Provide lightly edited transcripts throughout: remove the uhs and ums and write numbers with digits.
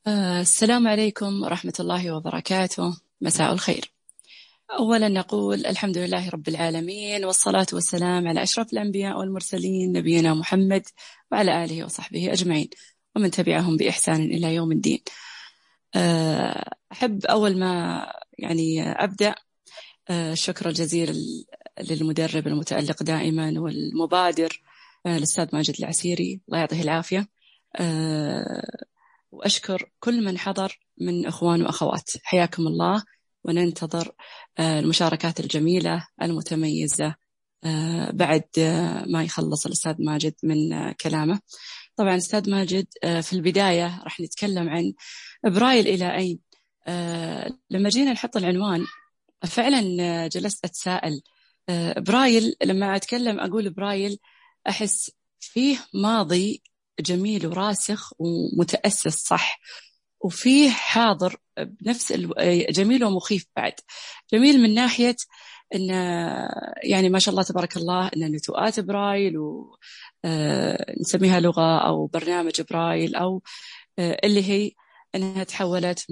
السلام عليكم ورحمة الله وبركاته. مساء الخير. أولا نقول الحمد لله رب العالمين، والصلاة والسلام على أشرف الأنبياء والمرسلين نبينا محمد وعلى آله وصحبه أجمعين ومن تبعهم بإحسان إلى يوم الدين. أحب أول ما أبدأ الشكر الجزيل للمدرب المتألق دائما والمبادر الأستاذ ماجد العسيري، الله يعطيه العافية. وأشكر كل من حضر من أخوان وأخوات، حياكم الله، وننتظر المشاركات الجميلة المتميزة بعد ما يخلص الأستاذ ماجد من كلامه. طبعا أستاذ ماجد في البداية راح نتكلم عن برايل إلى أين. لما جينا نحط العنوان فعلا جلست أتساءل، برايل لما أتكلم أقول برايل أحس فيه ماضي جميل وراسخ ومتأسس صح، وفيه حاضر بنفس جميل ومخيف بعد. جميل من ناحية إن ما شاء الله تبارك الله إن نتوءات برايل ونسميها لغة أو برنامج برايل، أو اللي هي أنها تحولت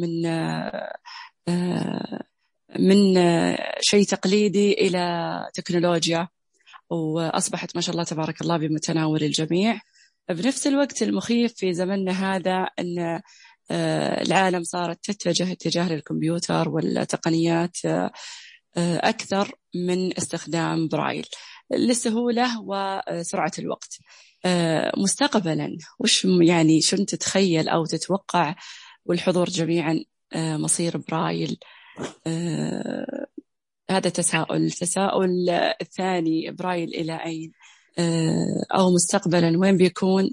من شيء تقليدي إلى تكنولوجيا، وأصبحت ما شاء الله تبارك الله بمتناول الجميع. بنفس الوقت المخيف في زمننا هذا أن العالم صارت تتجه اتجاه للكمبيوتر والتقنيات أكثر من استخدام برايل للسهولة وسرعة الوقت. مستقبلا شو تتخيل أو تتوقع والحضور جميعا مصير برايل؟ هذا تساؤل الثاني، برايل إلى أين، أو مستقبلا وين بيكون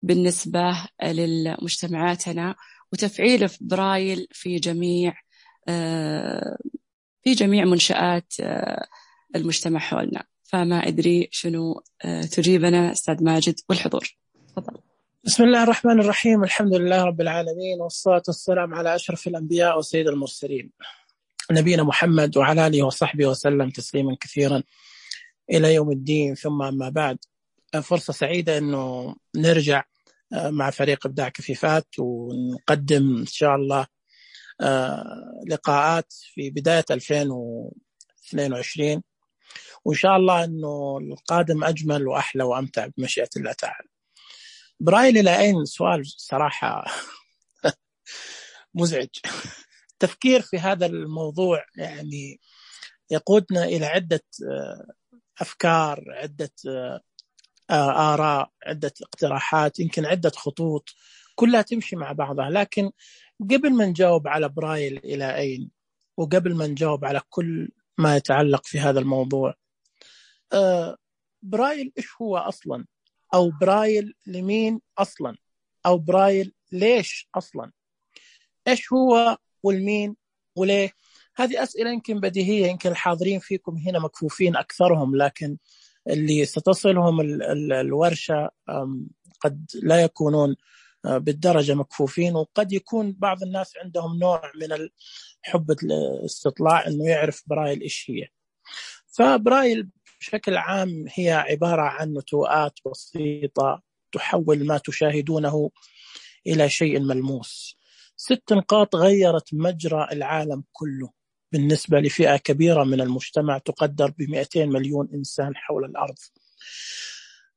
بالنسبة للمجتمعاتنا، وتفعيل برايل في جميع منشآت المجتمع حولنا. فما أدري شنو تجيبنا أستاذ ماجد والحضور. تفضل. بسم الله الرحمن الرحيم، الحمد لله رب العالمين، والصلاة والسلام على أشرف الأنبياء وسيد المرسلين نبينا محمد وعلى آله وصحبه وسلم تسليما كثيرا إلى يوم الدين. ثم أما بعد، فرصة سعيدة أنه نرجع مع فريق إبداع كفيفات ونقدم إن شاء الله لقاءات في بداية 2022، وإن شاء الله أنه القادم أجمل وأحلى وأمتع بمشيئة الله تعالى. برايل إلى أين؟ سؤال صراحة مزعج. التفكير في هذا الموضوع يقودنا إلى عدة أفكار، عدة آراء، عدة اقتراحات، يمكن عدة خطوط كلها تمشي مع بعضها. لكن قبل ما نجاوب على برايل إلى أين، وقبل ما نجاوب على كل ما يتعلق في هذا الموضوع، برايل إيش هو أصلا؟ أو برايل لمين أصلا؟ أو برايل ليش أصلا؟ إيش هو والمين وليه؟ هذه أسئلة يمكن بديهية، يمكن الحاضرين فيكم هنا مكفوفين أكثرهم، لكن اللي ستصلهم الورشة قد لا يكونون بالدرجة مكفوفين، وقد يكون بعض الناس عندهم نوع من حب الاستطلاع أنه يعرف برايل إيش هي. فبرايل بشكل عام هي عبارة عن نتوءات بسيطة تحول ما تشاهدونه إلى شيء ملموس. 6 نقاط غيرت مجرى العالم كله بالنسبة لفئة كبيرة من المجتمع تقدر ب200 مليون إنسان حول الأرض.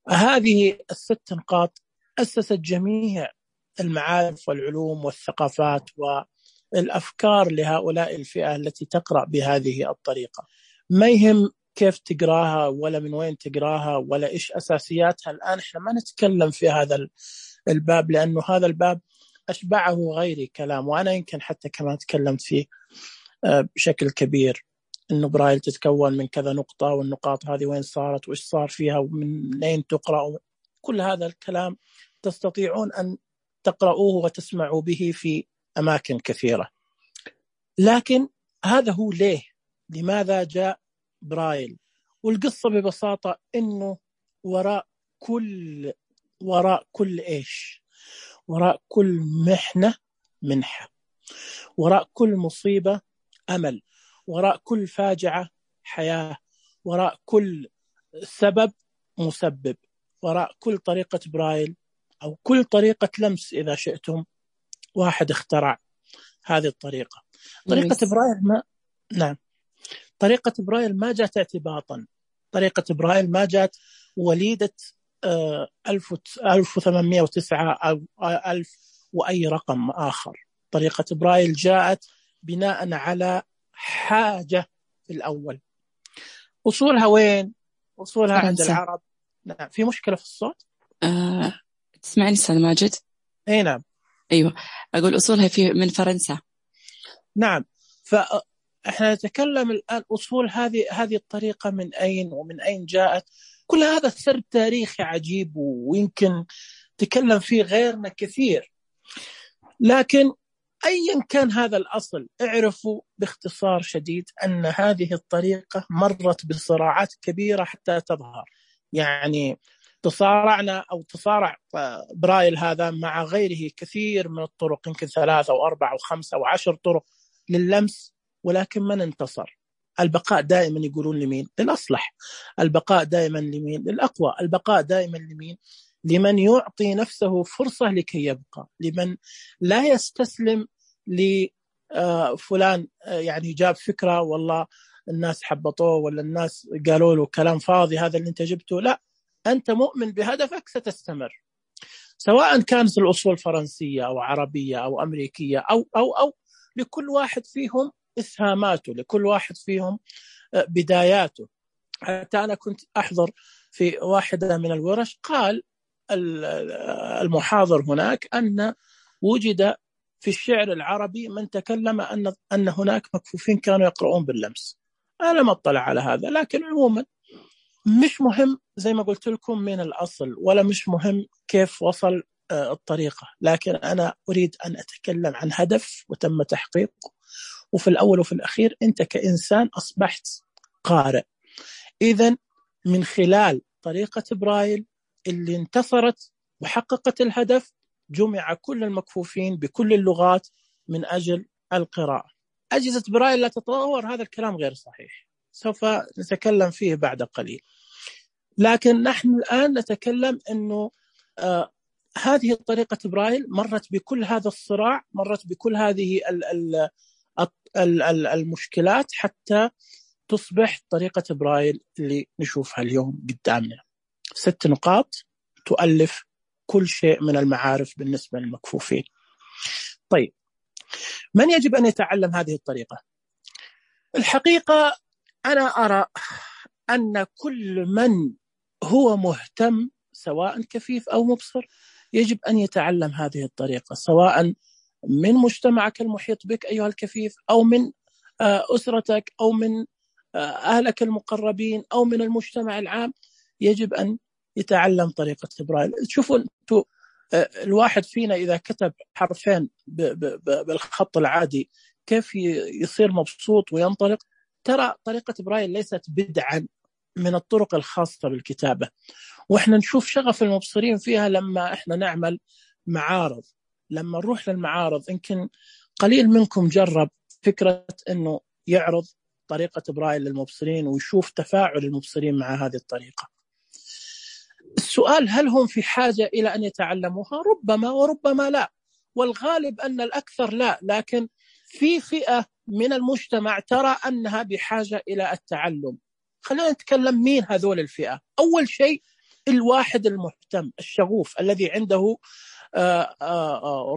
هذه 6 نقاط أسست جميع المعارف والعلوم والثقافات والأفكار لهؤلاء الفئة التي تقرأ بهذه الطريقة. ما يهم كيف تقراها ولا من وين تقراها ولا إيش أساسياتها. الآن إحنا ما نتكلم في هذا الباب، لأنه هذا الباب أشبعه غيري كلام، وأنا يمكن حتى كمان تكلمت فيه بشكل كبير، إنه برايل تتكون من كذا نقطة، والنقاط هذه وين صارت وإيش صار فيها ومن أين تقرأ. كل هذا الكلام تستطيعون أن تقرأوه وتسمعوا به في أماكن كثيرة. لكن هذا هو ليه، لماذا جاء برايل؟ والقصة ببساطة إنه وراء كل إيش؟ وراء كل محنة منحة، وراء كل مصيبة أمل، وراء كل فاجعة حياة، وراء كل سبب مسبب، وراء كل طريقة برايل أو كل طريقة لمس إذا شئتم واحد اخترع هذه الطريقة. طريقة برايل ما نعم، طريقة برايل ما جاءت اعتباطا، طريقة برايل ما جاءت وليدة 1809 أو 1000 وأي رقم آخر. طريقة برايل جاءت بناء على حاجة في الأول. أصولها وين؟ أصولها عند العرب. نعم. في مشكلة في الصوت؟ تسمعني أستاذ ماجد؟ أي نعم. أيوة، أقول أصولها من فرنسا. نعم. فإحنا نتكلم الآن أصول هذه الطريقة من أين ومن أين جاءت. كل هذا سر تاريخي عجيب ويمكن تكلم فيه غيرنا كثير، لكن أيا كان هذا الأصل اعرفوا باختصار شديد أن هذه الطريقة مرت بصراعات كبيرة حتى تظهر. يعني تصارع برايل هذا مع غيره كثير من الطرق، يمكن 3 أو 4 أو 5 أو 10 طرق لللمس، ولكن من انتصر؟ البقاء دائما يقولون لمين؟ للأصلح. البقاء دائما لمين؟ للأقوى. البقاء دائما لمين؟ لمن يعطي نفسه فرصة لكي يبقى، لمن لا يستسلم لفلان يعني جاب فكرة والله الناس حبطوه ولا الناس قالوا له كلام فاضي هذا اللي انت جبته. لا، أنت مؤمن بهدفك ستستمر، سواء كانت الأصول فرنسية أو عربية أو أمريكية أو لكل واحد فيهم إسهاماته، لكل واحد فيهم بداياته. حتى أنا كنت أحضر في واحدة من الورش، قال المحاضر هناك أن وجد في الشعر العربي من تكلم أن هناك مكفوفين كانوا يقرؤون باللمس. أنا ما أطلع على هذا، لكن عموما مش مهم زي ما قلت لكم من الأصل، ولا مش مهم كيف وصل الطريقة، لكن أنا أريد أن أتكلم عن هدف وتم تحقيقه. وفي الأول وفي الأخير أنت كإنسان أصبحت قارئ. إذن من خلال طريقة برايل اللي انتصرت وحققت الهدف، جمع كل المكفوفين بكل اللغات من أجل القراءة. أجهزة برايل لا تتطور، هذا الكلام غير صحيح، سوف نتكلم فيه بعد قليل. لكن نحن الآن نتكلم أنه هذه طريقة برايل مرت بكل هذا الصراع، مرت بكل هذه المشكلات حتى تصبح طريقة برايل اللي نشوفها اليوم قدامنا. 6 نقاط تؤلف كل شيء من المعارف بالنسبة للمكفوفين. طيب، من يجب أن يتعلم هذه الطريقة؟ الحقيقة أنا أرى أن كل من هو مهتم سواء كفيف أو مبصر يجب أن يتعلم هذه الطريقة، سواء من مجتمعك المحيط بك أيها الكفيف، أو من أسرتك، أو من أهلك المقربين، أو من المجتمع العام. يجب أن يتعلم طريقة برايل. شوفوا أنتوا، الواحد فينا إذا كتب حرفين بالخط العادي كيف يصير مبسوط وينطلق. ترى طريقة برايل ليست بدعا من الطرق الخاصة بالكتابة، وإحنا نشوف شغف المبصرين فيها لما إحنا نعمل معارض. لما نروح للمعارض يمكن قليل منكم جرب فكرة أنه يعرض طريقة برايل للمبصرين ويشوف تفاعل المبصرين مع هذه الطريقة. السؤال هل هم في حاجة إلى أن يتعلموها؟ ربما وربما لا، والغالب أن الأكثر لا، لكن في فئة من المجتمع ترى أنها بحاجة إلى التعلم. خلينا نتكلم مين هذول الفئة. أول شيء الواحد المهتم الشغوف الذي عنده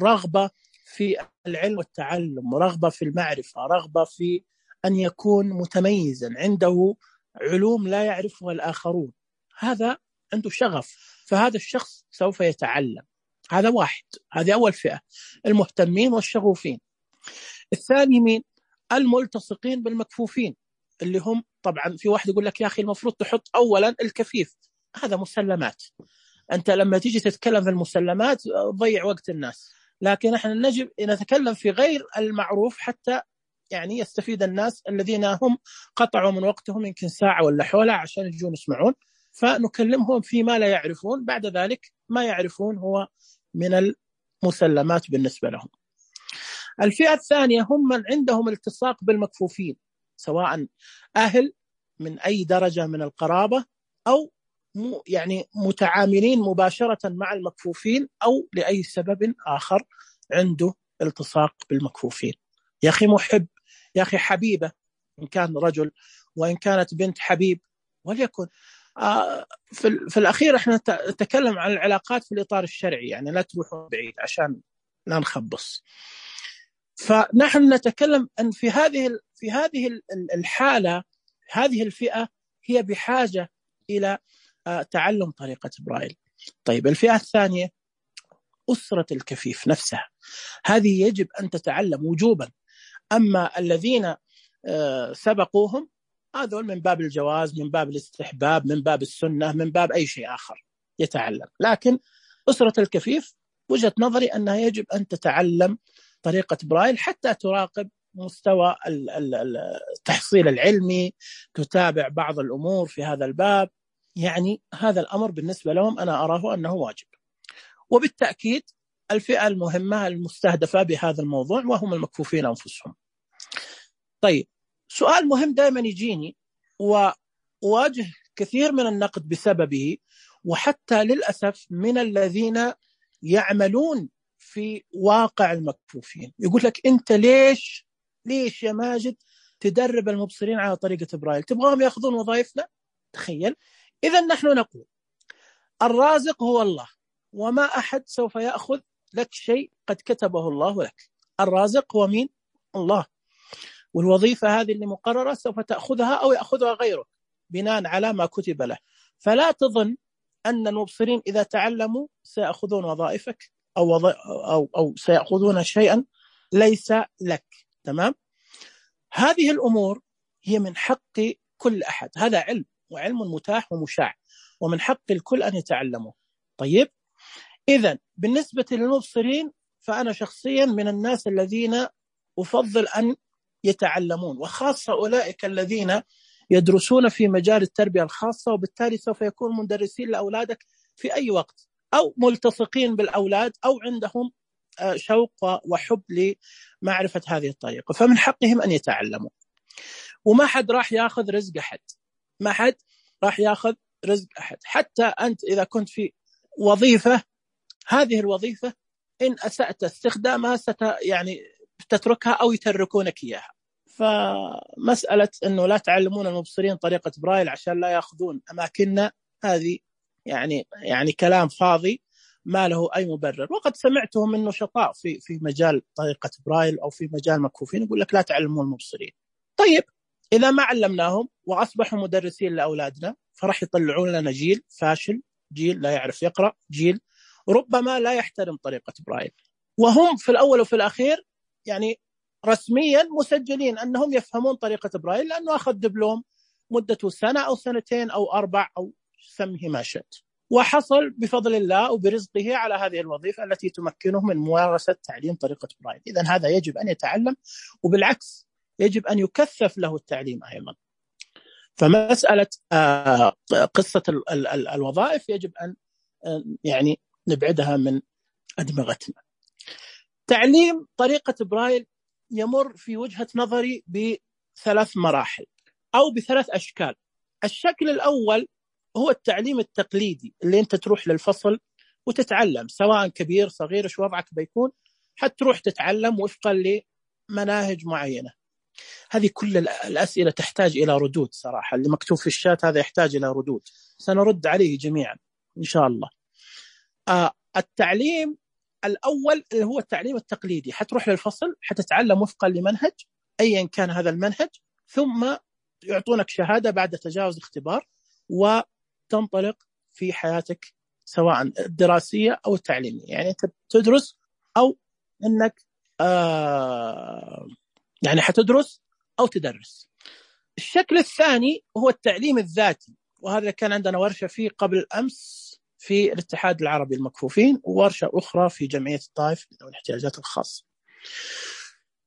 رغبة في العلم والتعلم، رغبة في المعرفة، رغبة في أن يكون متميزا، عنده علوم لا يعرفها الآخرون، هذا عنده شغف، فهذا الشخص سوف يتعلم. هذا واحد، هذه أول فئة، المهتمين والشغوفين. الثاني مين؟ الملتصقين بالمكفوفين، اللي هم طبعا في واحد يقول لك يا أخي المفروض تحط أولا الكفيف، هذا مسلمات، أنت لما تيجي تتكلم في المسلمات ضيع وقت الناس، لكن احنا نجب نتكلم في غير المعروف حتى يعني يستفيد الناس الذين هم قطعوا من وقتهم يمكن ساعة ولا حولها عشان يجون يسمعون، فنكلمهم فيما لا يعرفون، بعد ذلك ما يعرفون هو من المسلمات بالنسبة لهم. الفئة الثانية هم من عندهم التصاق بالمكفوفين، سواء أهل من أي درجة من القرابة، أو يعني متعاملين مباشرة مع المكفوفين، أو لأي سبب آخر عنده التصاق بالمكفوفين. يا أخي محب، يا أخي حبيبة، إن كان رجل، وإن كانت بنت حبيب وليكن. في الأخير إحنا نتكلم عن العلاقات في الإطار الشرعي، يعني لا تروحوا بعيد عشان لا نخبص. فنحن نتكلم أن في هذه الحالة هذه الفئة هي بحاجة إلى تعلم طريقة برايل. طيب الفئة الثانية أسرة الكفيف نفسها، هذه يجب أن تتعلم وجوبا. أما الذين سبقوهم هذول من باب الجواز، من باب الاستحباب، من باب السنة، من باب أي شيء آخر يتعلم. لكن أسرة الكفيف وجهة نظري أنها يجب أن تتعلم طريقة برايل حتى تراقب مستوى التحصيل العلمي، تتابع بعض الأمور في هذا الباب. يعني هذا الأمر بالنسبة لهم أنا أراه أنه واجب. وبالتأكيد الفئة المهمة المستهدفة بهذا الموضوع وهم المكفوفين أنفسهم. طيب سؤال مهم دائما يجيني وواجه كثير من النقد بسببه، وحتى للأسف من الذين يعملون في واقع المكفوفين، يقول لك أنت ليش يا ماجد تدرب المبصرين على طريقة برايل؟ تبغاهم يأخذون وظائفنا؟ تخيل. إذا نحن نقول الرازق هو الله، وما أحد سوف يأخذ لك شيء قد كتبه الله لك. الرازق هو مين؟ الله. والوظيفة هذه اللي مقررة سوف تأخذها أو يأخذها غيره بناء على ما كتب له. فلا تظن أن المبصرين إذا تعلموا سيأخذون وظائفك أو سيأخذون شيئا ليس لك. تمام؟ هذه الأمور هي من حق كل أحد، هذا علم، وعلم متاح ومشاع، ومن حق الكل أن يتعلمه. طيب إذن بالنسبة للمبصرين فأنا شخصيا من الناس الذين أفضل أن يتعلمون، وخاصة أولئك الذين يدرسون في مجال التربية الخاصة، وبالتالي سوف يكون مدرسين لأولادك في أي وقت، أو ملتصقين بالأولاد، أو عندهم شوق وحب لمعرفة هذه الطريقة، فمن حقهم أن يتعلموا. وما حد راح يأخذ رزق أحد، ما حد راح يأخذ رزق أحد. حتى أنت إذا كنت في وظيفة، هذه الوظيفة إن أسأت استخدامها يعني تتركها أو يتركونك إياها. فمسألة أنه لا تعلمون المبصرين طريقة برايل عشان لا يأخذون أماكننا، هذه يعني كلام فاضي ما له أي مبرر. وقد سمعته من نشطاء في مجال طريقة برايل أو في مجال مكفوفين يقول لك لا تعلمون المبصرين. طيب إذا ما علمناهم وأصبحوا مدرسين لأولادنا فرح يطلعون لنا جيل فاشل، جيل لا يعرف يقرأ، جيل ربما لا يحترم طريقة برايل، وهم في الأول وفي الأخير يعني رسميا مسجلين أنهم يفهمون طريقة برايل، لأنه أخذ دبلوم مدته سنة أو سنتين أو 4 أو سمه ما شئت، وحصل بفضل الله وبرزقه على هذه الوظيفة التي تمكنه من ممارسة تعليم طريقة برايل. إذن هذا يجب أن يتعلم، وبالعكس يجب أن يكثف له التعليم أيضا. فمسألة قصة الوظائف يجب أن يعني نبعدها من أدمغتنا. تعليم طريقة برايل يمر في وجهة نظري ب3 مراحل أو ب3 أشكال. الشكل الأول هو التعليم التقليدي اللي أنت تروح للفصل وتتعلم، سواء كبير صغير إيش وضعك بيكون، حتروح تتعلم وفقا لمناهج معينة. هذه كل الأسئلة تحتاج إلى ردود صراحة، اللي مكتوب في الشات هذا يحتاج إلى ردود، سنرد عليه جميعا إن شاء الله. التعليم الأول اللي هو التعليم التقليدي، حتروح للفصل حتتعلم وفقا لمنهج أيا كان هذا المنهج، ثم يعطونك شهادة بعد تجاوز اختبار وتنطلق في حياتك سواء الدراسية أو التعليمية. يعني تدرس أو أنك يعني حتدرس أو تدرس. الشكل الثاني هو التعليم الذاتي، وهذا كان عندنا ورشة فيه قبل أمس في الاتحاد العربي المكفوفين، وورشة أخرى في جمعية الطائف ذوي الاحتياجات الخاصة.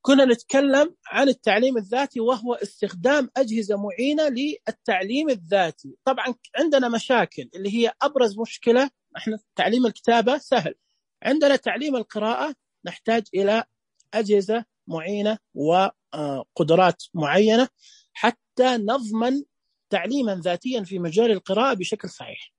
كنا نتكلم عن التعليم الذاتي، وهو استخدام أجهزة معينة للتعليم الذاتي. طبعا عندنا مشاكل، اللي هي أبرز مشكلة، احنا تعليم الكتابة سهل، عندنا تعليم القراءة نحتاج إلى أجهزة معينة وقدرات معينة حتى نضمن تعليما ذاتيا في مجال القراءة بشكل صحيح.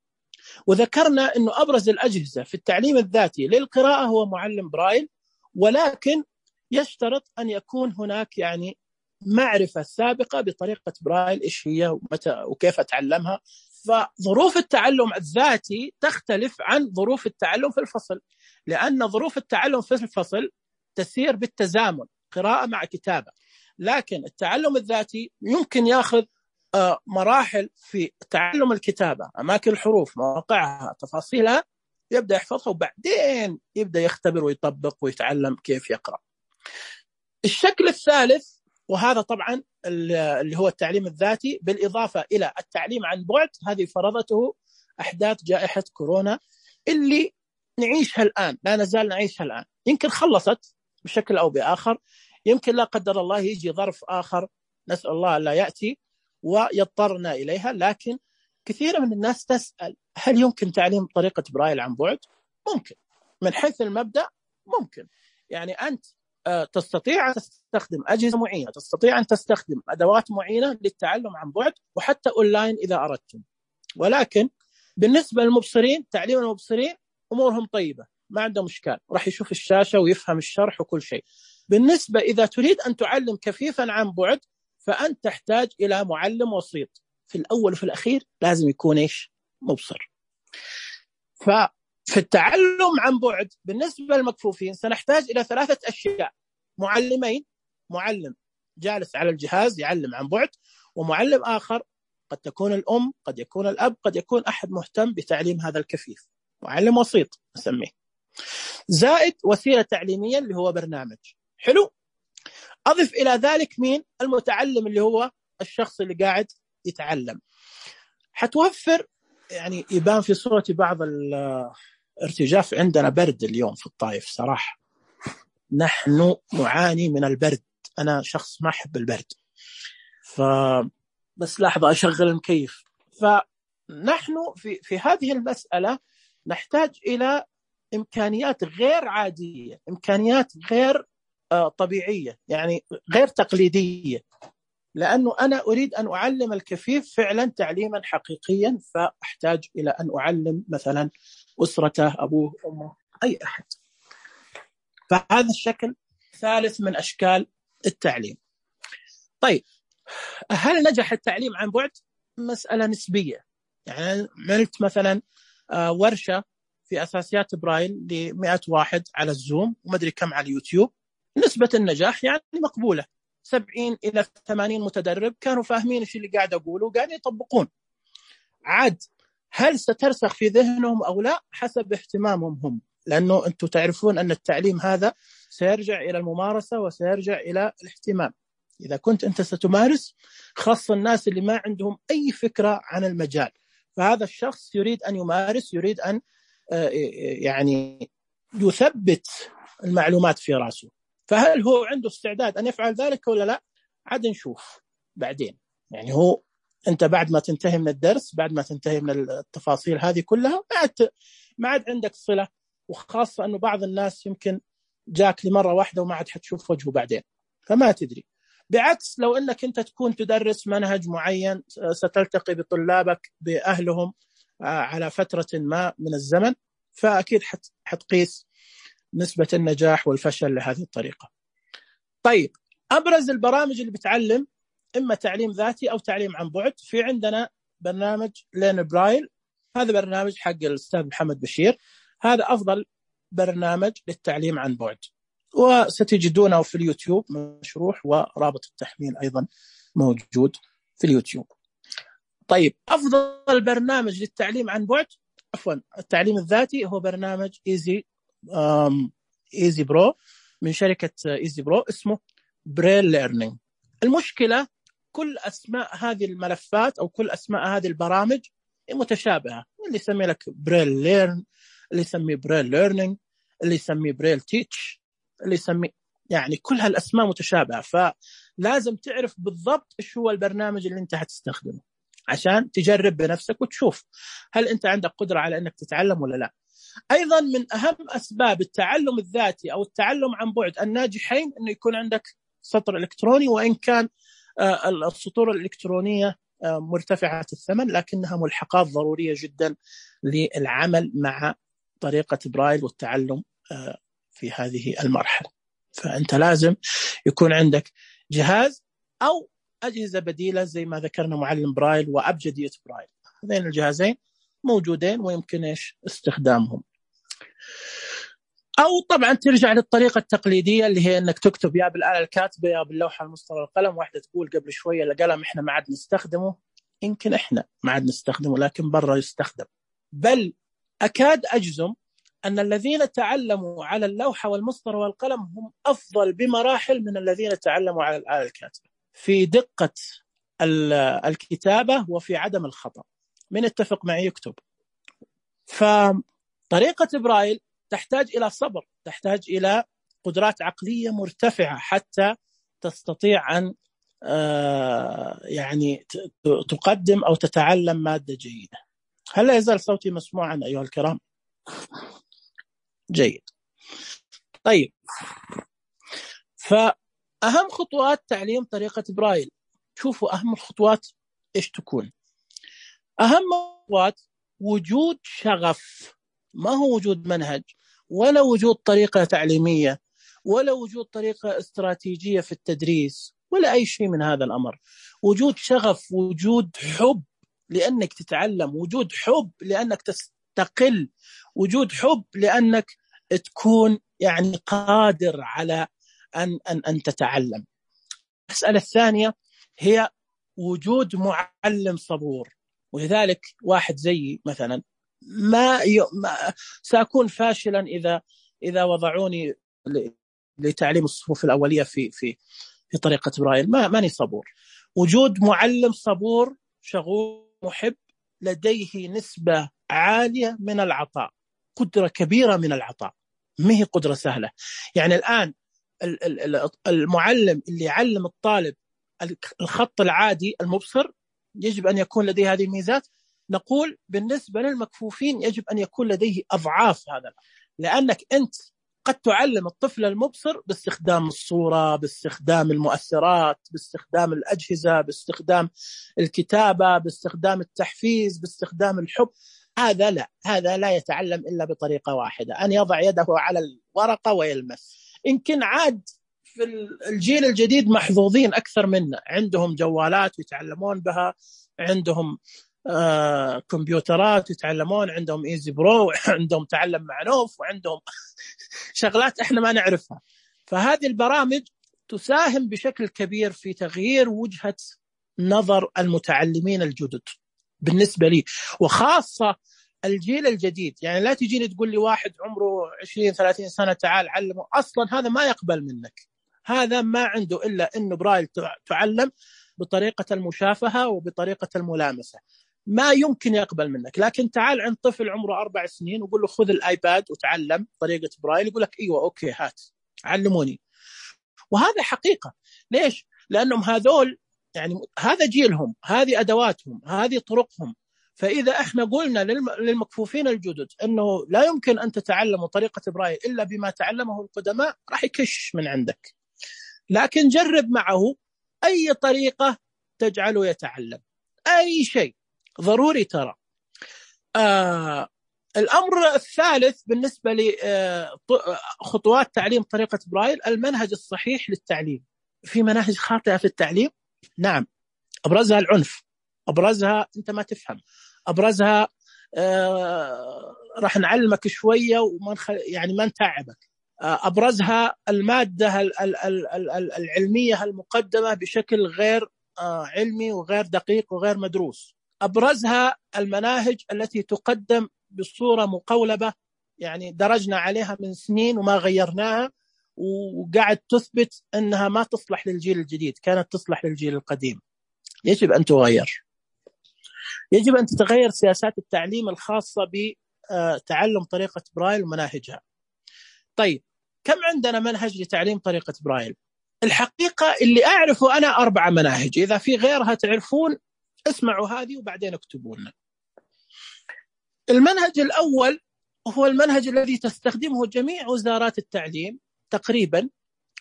وذكرنا أنه أبرز الأجهزة في التعليم الذاتي للقراءة هو معلم برايل ولكن يشترط أن يكون هناك يعني معرفة سابقة بطريقة برايل إيش هي ومتى وكيف أتعلمها. فظروف التعلم الذاتي تختلف عن ظروف التعلم في الفصل، لأن ظروف التعلم في الفصل تسير بالتزامن، قراءة مع كتابة. لكن التعلم الذاتي يمكن يأخذ مراحل في تعلم الكتابة، أماكن الحروف، مواقعها، تفاصيلها، يبدأ يحفظها وبعدين يبدأ يختبر ويطبق ويتعلم كيف يقرأ. الشكل الثالث، وهذا طبعا اللي هو التعليم الذاتي بالإضافة إلى التعليم عن بعد، هذه فرضته أحداث جائحة كورونا اللي نعيشها الآن، لا نزال نعيشها الآن. يمكن خلصت بشكل أو بآخر، يمكن لا قدر الله يجي ظرف آخر نسأل الله لا يأتي ويضطرنا إليها، لكن كثير من الناس تسأل هل يمكن تعليم طريقة برايل عن بعد؟ ممكن، من حيث المبدأ ممكن. يعني أنت تستطيع أن تستخدم أجهزة معينة، تستطيع أن تستخدم أدوات معينة للتعلم عن بعد وحتى أونلاين إذا أردتم. ولكن بالنسبة للمبصرين، تعليم المبصرين أمورهم طيبة، ما عندهم مشكلة، راح يشوف الشاشة ويفهم الشرح وكل شيء. بالنسبة إذا تريد أن تعلم كفيفا عن بعد، فأنت تحتاج إلى معلم وسيط، في الأول وفي الأخير لازم يكون إيش؟ مبصر. ففي التعلم عن بعد بالنسبة للمكفوفين سنحتاج إلى 3 أشياء: معلمين، معلم جالس على الجهاز يعلم عن بعد، ومعلم آخر قد تكون الأم، قد يكون الأب، قد يكون أحد مهتم بتعليم هذا الكفيف، معلم وسيط نسميه، زائد وسيلة تعليمية اللي هو برنامج. حلو. أضف إلى ذلك مين؟ المتعلم اللي هو الشخص اللي قاعد يتعلم. حتوفر، يعني يبان في صورتي بعض الارتجاف، عندنا برد اليوم في الطائف صراحة، نحن نعاني من البرد، أنا شخص ما أحب البرد، بس لحظة أشغل المكيف. فنحن في هذه المسألة نحتاج إلى إمكانيات غير عادية، إمكانيات غير طبيعية، يعني غير تقليدية، لأنه أنا أريد أن أعلم الكفيف فعلا تعليما حقيقيا، فأحتاج إلى أن أعلم مثلا أسرته، أبوه، أمه، أي أحد. فهذا الشكل ثالث من أشكال التعليم. طيب، هل نجح التعليم عن بعد؟ مسألة نسبية. يعني عملت مثلا ورشة في أساسيات برايل ل100 واحد على الزوم وما أدري كم على اليوتيوب، نسبة النجاح يعني مقبولة، 70 إلى 80 متدرب كانوا فاهمين إيش اللي قاعد أقوله وقاعدين يطبقون. عاد هل سترسخ في ذهنهم أو لا؟ حسب اهتمامهم هم، لأنه أنتم تعرفون أن التعليم هذا سيرجع إلى الممارسة وسيرجع إلى الاهتمام. إذا كنت أنت ستمارس، خاصة الناس اللي ما عندهم أي فكرة عن المجال، فهذا الشخص يريد أن يمارس، يريد أن يعني يثبت المعلومات في رأسه. فهل هو عنده استعداد أن يفعل ذلك ولا لا؟ عاد نشوف بعدين. يعني هو أنت بعد ما تنتهي من الدرس، بعد ما تنتهي من التفاصيل هذه كلها، ما عاد عندك صلة، وخاصة أنه بعض الناس يمكن جاك لمرة واحدة وما عاد حتشوف وجهه بعدين، فما تدري. بعكس لو أنك أنت تكون تدرس منهج معين، ستلتقي بطلابك بأهلهم على فترة ما من الزمن، فأكيد حتقيس نسبة النجاح والفشل لهذه الطريقة. طيب، أبرز البرامج اللي بتعلم إما تعليم ذاتي أو تعليم عن بعد، في عندنا برنامج لين برايل، هذا برنامج حق الأستاذ محمد بشير، هذا أفضل برنامج للتعليم عن بعد، وستجدونه في اليوتيوب مشروح، ورابط التحميل أيضا موجود في اليوتيوب. طيب، أفضل برنامج للتعليم عن بعد، التعليم الذاتي، هو برنامج إيزي برو من شركة إيزي برو، اسمه بريل ليرنينج. المشكلة كل أسماء هذه الملفات أو كل أسماء هذه البرامج متشابهة، اللي يسمي لك بريل ليرن، اللي يسمي بريل ليرنينج، اللي يسمي بريل تيتش، اللي يسمي، يعني كل هالأسماء متشابهة، فلازم تعرف بالضبط إيش هو البرنامج اللي أنت هتستخدمه عشان تجرب بنفسك وتشوف هل أنت عندك قدرة على أنك تتعلم ولا لا. أيضا من أهم أسباب التعلم الذاتي أو التعلم عن بعد الناجحين أنه يكون عندك سطر إلكتروني، وإن كان السطور الإلكترونية مرتفعة الثمن، لكنها ملحقات ضرورية جدا للعمل مع طريقة برايل والتعلم في هذه المرحلة. فأنت لازم يكون عندك جهاز أو أجهزة بديلة زي ما ذكرنا معلم برايل وأبجدية برايل. هذين الجهازين موجودين ويمكن استخدامهم. أو طبعا ترجع للطريقة التقليدية اللي هي أنك تكتب يا بالآلة الكاتبة يا باللوحة المسطرة والقلم. واحدة تقول قبل شوية القلم إحنا ما عاد نستخدمه، يمكن إحنا ما عاد نستخدمه لكن برا يستخدم. بل أكاد أجزم أن الذين تعلموا على اللوحة والمسطرة والقلم هم أفضل بمراحل من الذين تعلموا على الآلة الكاتبة في دقة الكتابة وفي عدم الخطأ. من اتفق معي يكتب. فطريقة برايل تحتاج إلى صبر، تحتاج إلى قدرات عقلية مرتفعة حتى تستطيع أن يعني تقدم أو تتعلم مادة جيدة. هل لا يزال صوتي مسموعا أيها الكرام؟ جيد. طيب، فأهم خطوات تعليم طريقة برايل، شوفوا أهم الخطوات إيش تكون. أهم خطوات وجود شغف، ما هو وجود منهج ولا وجود طريقة تعليمية ولا وجود طريقة استراتيجية في التدريس ولا أي شيء من هذا الأمر. وجود شغف، وجود حب لأنك تتعلم، وجود حب لأنك تستقل، وجود حب لأنك تكون يعني قادر على أن تتعلم. المسألة الثانية هي وجود معلم صبور. ولذلك واحد زيي مثلا ما سأكون فاشلا إذا وضعوني لتعليم الصفوف الأولية في طريقة برايل، ماني صبور. وجود معلم صبور شغوف محب لديه نسبة عالية من العطاء، قدرة كبيرة من العطاء، ما هي قدرة سهلة. يعني الآن المعلم اللي يعلم الطالب الخط العادي المبصر يجب أن يكون لديه هذه الميزات. نقول بالنسبة للمكفوفين يجب أن يكون لديه أضعاف هذا، لأنك أنت قد تعلم الطفل المبصر باستخدام الصورة، باستخدام المؤثرات، باستخدام الأجهزة، باستخدام الكتابة، باستخدام التحفيز، باستخدام الحب. هذا لا يتعلم إلا بطريقة واحدة، أن يضع يده على الورقة ويلمس. يمكن عاد في الجيل الجديد محظوظين أكثر منا، عندهم جوالات يتعلمون بها، عندهم كمبيوترات يتعلمون، عندهم إيزي برو، عندهم تعلم مع نوف، وعندهم شغلات إحنا ما نعرفها. فهذه البرامج تساهم بشكل كبير في تغيير وجهة نظر المتعلمين الجدد بالنسبة لي، وخاصة الجيل الجديد. يعني لا تجيني تقول لي واحد عمره 20-30 سنة تعال علمه، أصلا هذا ما يقبل منك، هذا ما عنده إلا إنه برايل تعلم بطريقة المشافهة وبطريقة الملامسة، ما يمكن يقبل منك. لكن تعال عند طفل عمره 4 سنين وقول له خذ الآيباد وتعلم طريقة برايل، يقول لك أيوة أوكي هات علموني. وهذا حقيقة. ليش؟ لأنهم هذول يعني هذا جيلهم، هذه أدواتهم، هذه طرقهم. فإذا احنا قلنا للمكفوفين الجدد أنه لا يمكن أن تتعلموا طريقة برايل إلا بما تعلمه القدماء، راح يكش من عندك. لكن جرب معه أي طريقة تجعله يتعلم أي شيء، ضروري ترى. الأمر الثالث بالنسبة لخطوات تعليم طريقة برايل، المنهج الصحيح للتعليم. في مناهج خاطئة في التعليم، نعم، أبرزها العنف، أبرزها أنت ما تفهم، أبرزها راح نعلمك شوية يعني ما نتعبك، أبرزها المادة العلمية المقدمة بشكل غير علمي وغير دقيق وغير مدروس، أبرزها المناهج التي تقدم بصورة مقولبة، يعني درجنا عليها من سنين وما غيرناها، وقاعد تثبت أنها ما تصلح للجيل الجديد، كانت تصلح للجيل القديم. يجب أن تغير، يجب أن تتغير سياسات التعليم الخاصة بتعلم طريقة برايل ومناهجها. طيب، كم عندنا منهج لتعليم طريقة برايل؟ الحقيقة اللي أعرفه أنا 4 مناهج، إذا في غيرها تعرفون اسمعوا هذه وبعدين اكتبونا. المنهج الأول هو المنهج الذي تستخدمه جميع وزارات التعليم تقريبا،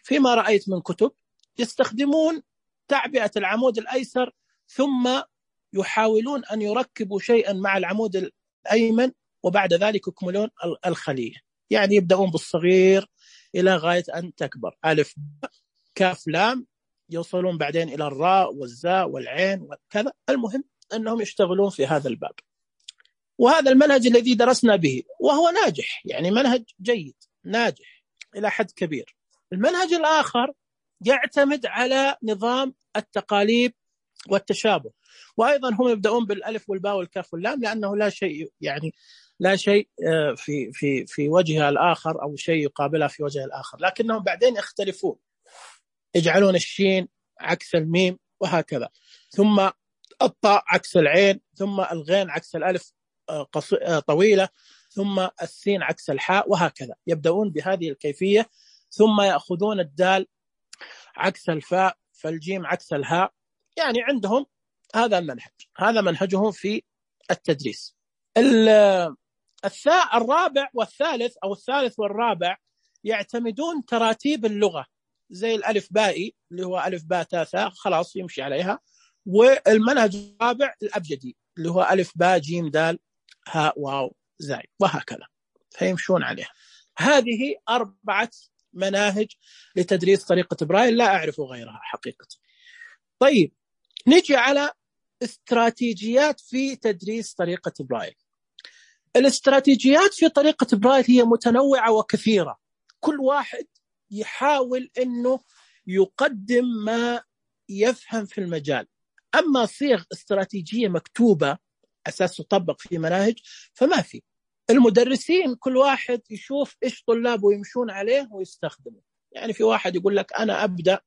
فيما رأيت من كتب يستخدمون تعبئة العمود الأيسر ثم يحاولون أن يركبوا شيئا مع العمود الأيمن وبعد ذلك يكملون الخلية. يعني يبدأون بالصغير إلى غاية أن تكبر، ألف كاف لام، يوصلون بعدين إلى الراء والزاء والعين وكذا. المهم أنهم يشتغلون في هذا الباب، وهذا المنهج الذي درسنا به، وهو ناجح، يعني منهج جيد ناجح إلى حد كبير. المنهج الآخر يعتمد على نظام التقاليب والتشابه، وأيضا هم يبدأون بالألف والباء والكاف واللام، لأنه لا شيء يعني لا شيء في وجه الآخر أو شيء يقابلها في وجه الآخر، لكنهم بعدين يختلفون، يجعلون الشين عكس الميم وهكذا، ثم الطاء عكس العين، ثم الغين عكس الألف طويلة، ثم السين عكس الحاء وهكذا. يبدأون بهذه الكيفية، ثم يأخذون الدال عكس الفاء، فالجيم عكس الهاء. يعني عندهم هذا المنهج، هذا منهجهم في التدريس. الرابع والثالث أو الثالث والرابع يعتمدون تراتيب اللغة، زي الألف بائي اللي هو ألف باء تاء ثاء، خلاص يمشي عليها. والمنهج الرابع الأبجدي اللي هو ألف باء جيم دال هاء واو زاي وهكذا، فيمشون عليها. هذه 4 مناهج لتدريس طريقة برايل، لا أعرف غيرها حقيقة. طيب نجي على استراتيجيات في تدريس طريقة برايل. الاستراتيجيات في طريقة برايل هي متنوعة وكثيرة، كل واحد يحاول أنه يقدم ما يفهم في المجال. أما صيغ استراتيجية مكتوبة أساس تطبق في مناهج فما في. المدرسين كل واحد يشوف إيش طلابه يمشون عليه ويستخدمه. يعني في واحد يقول لك أنا أبدأ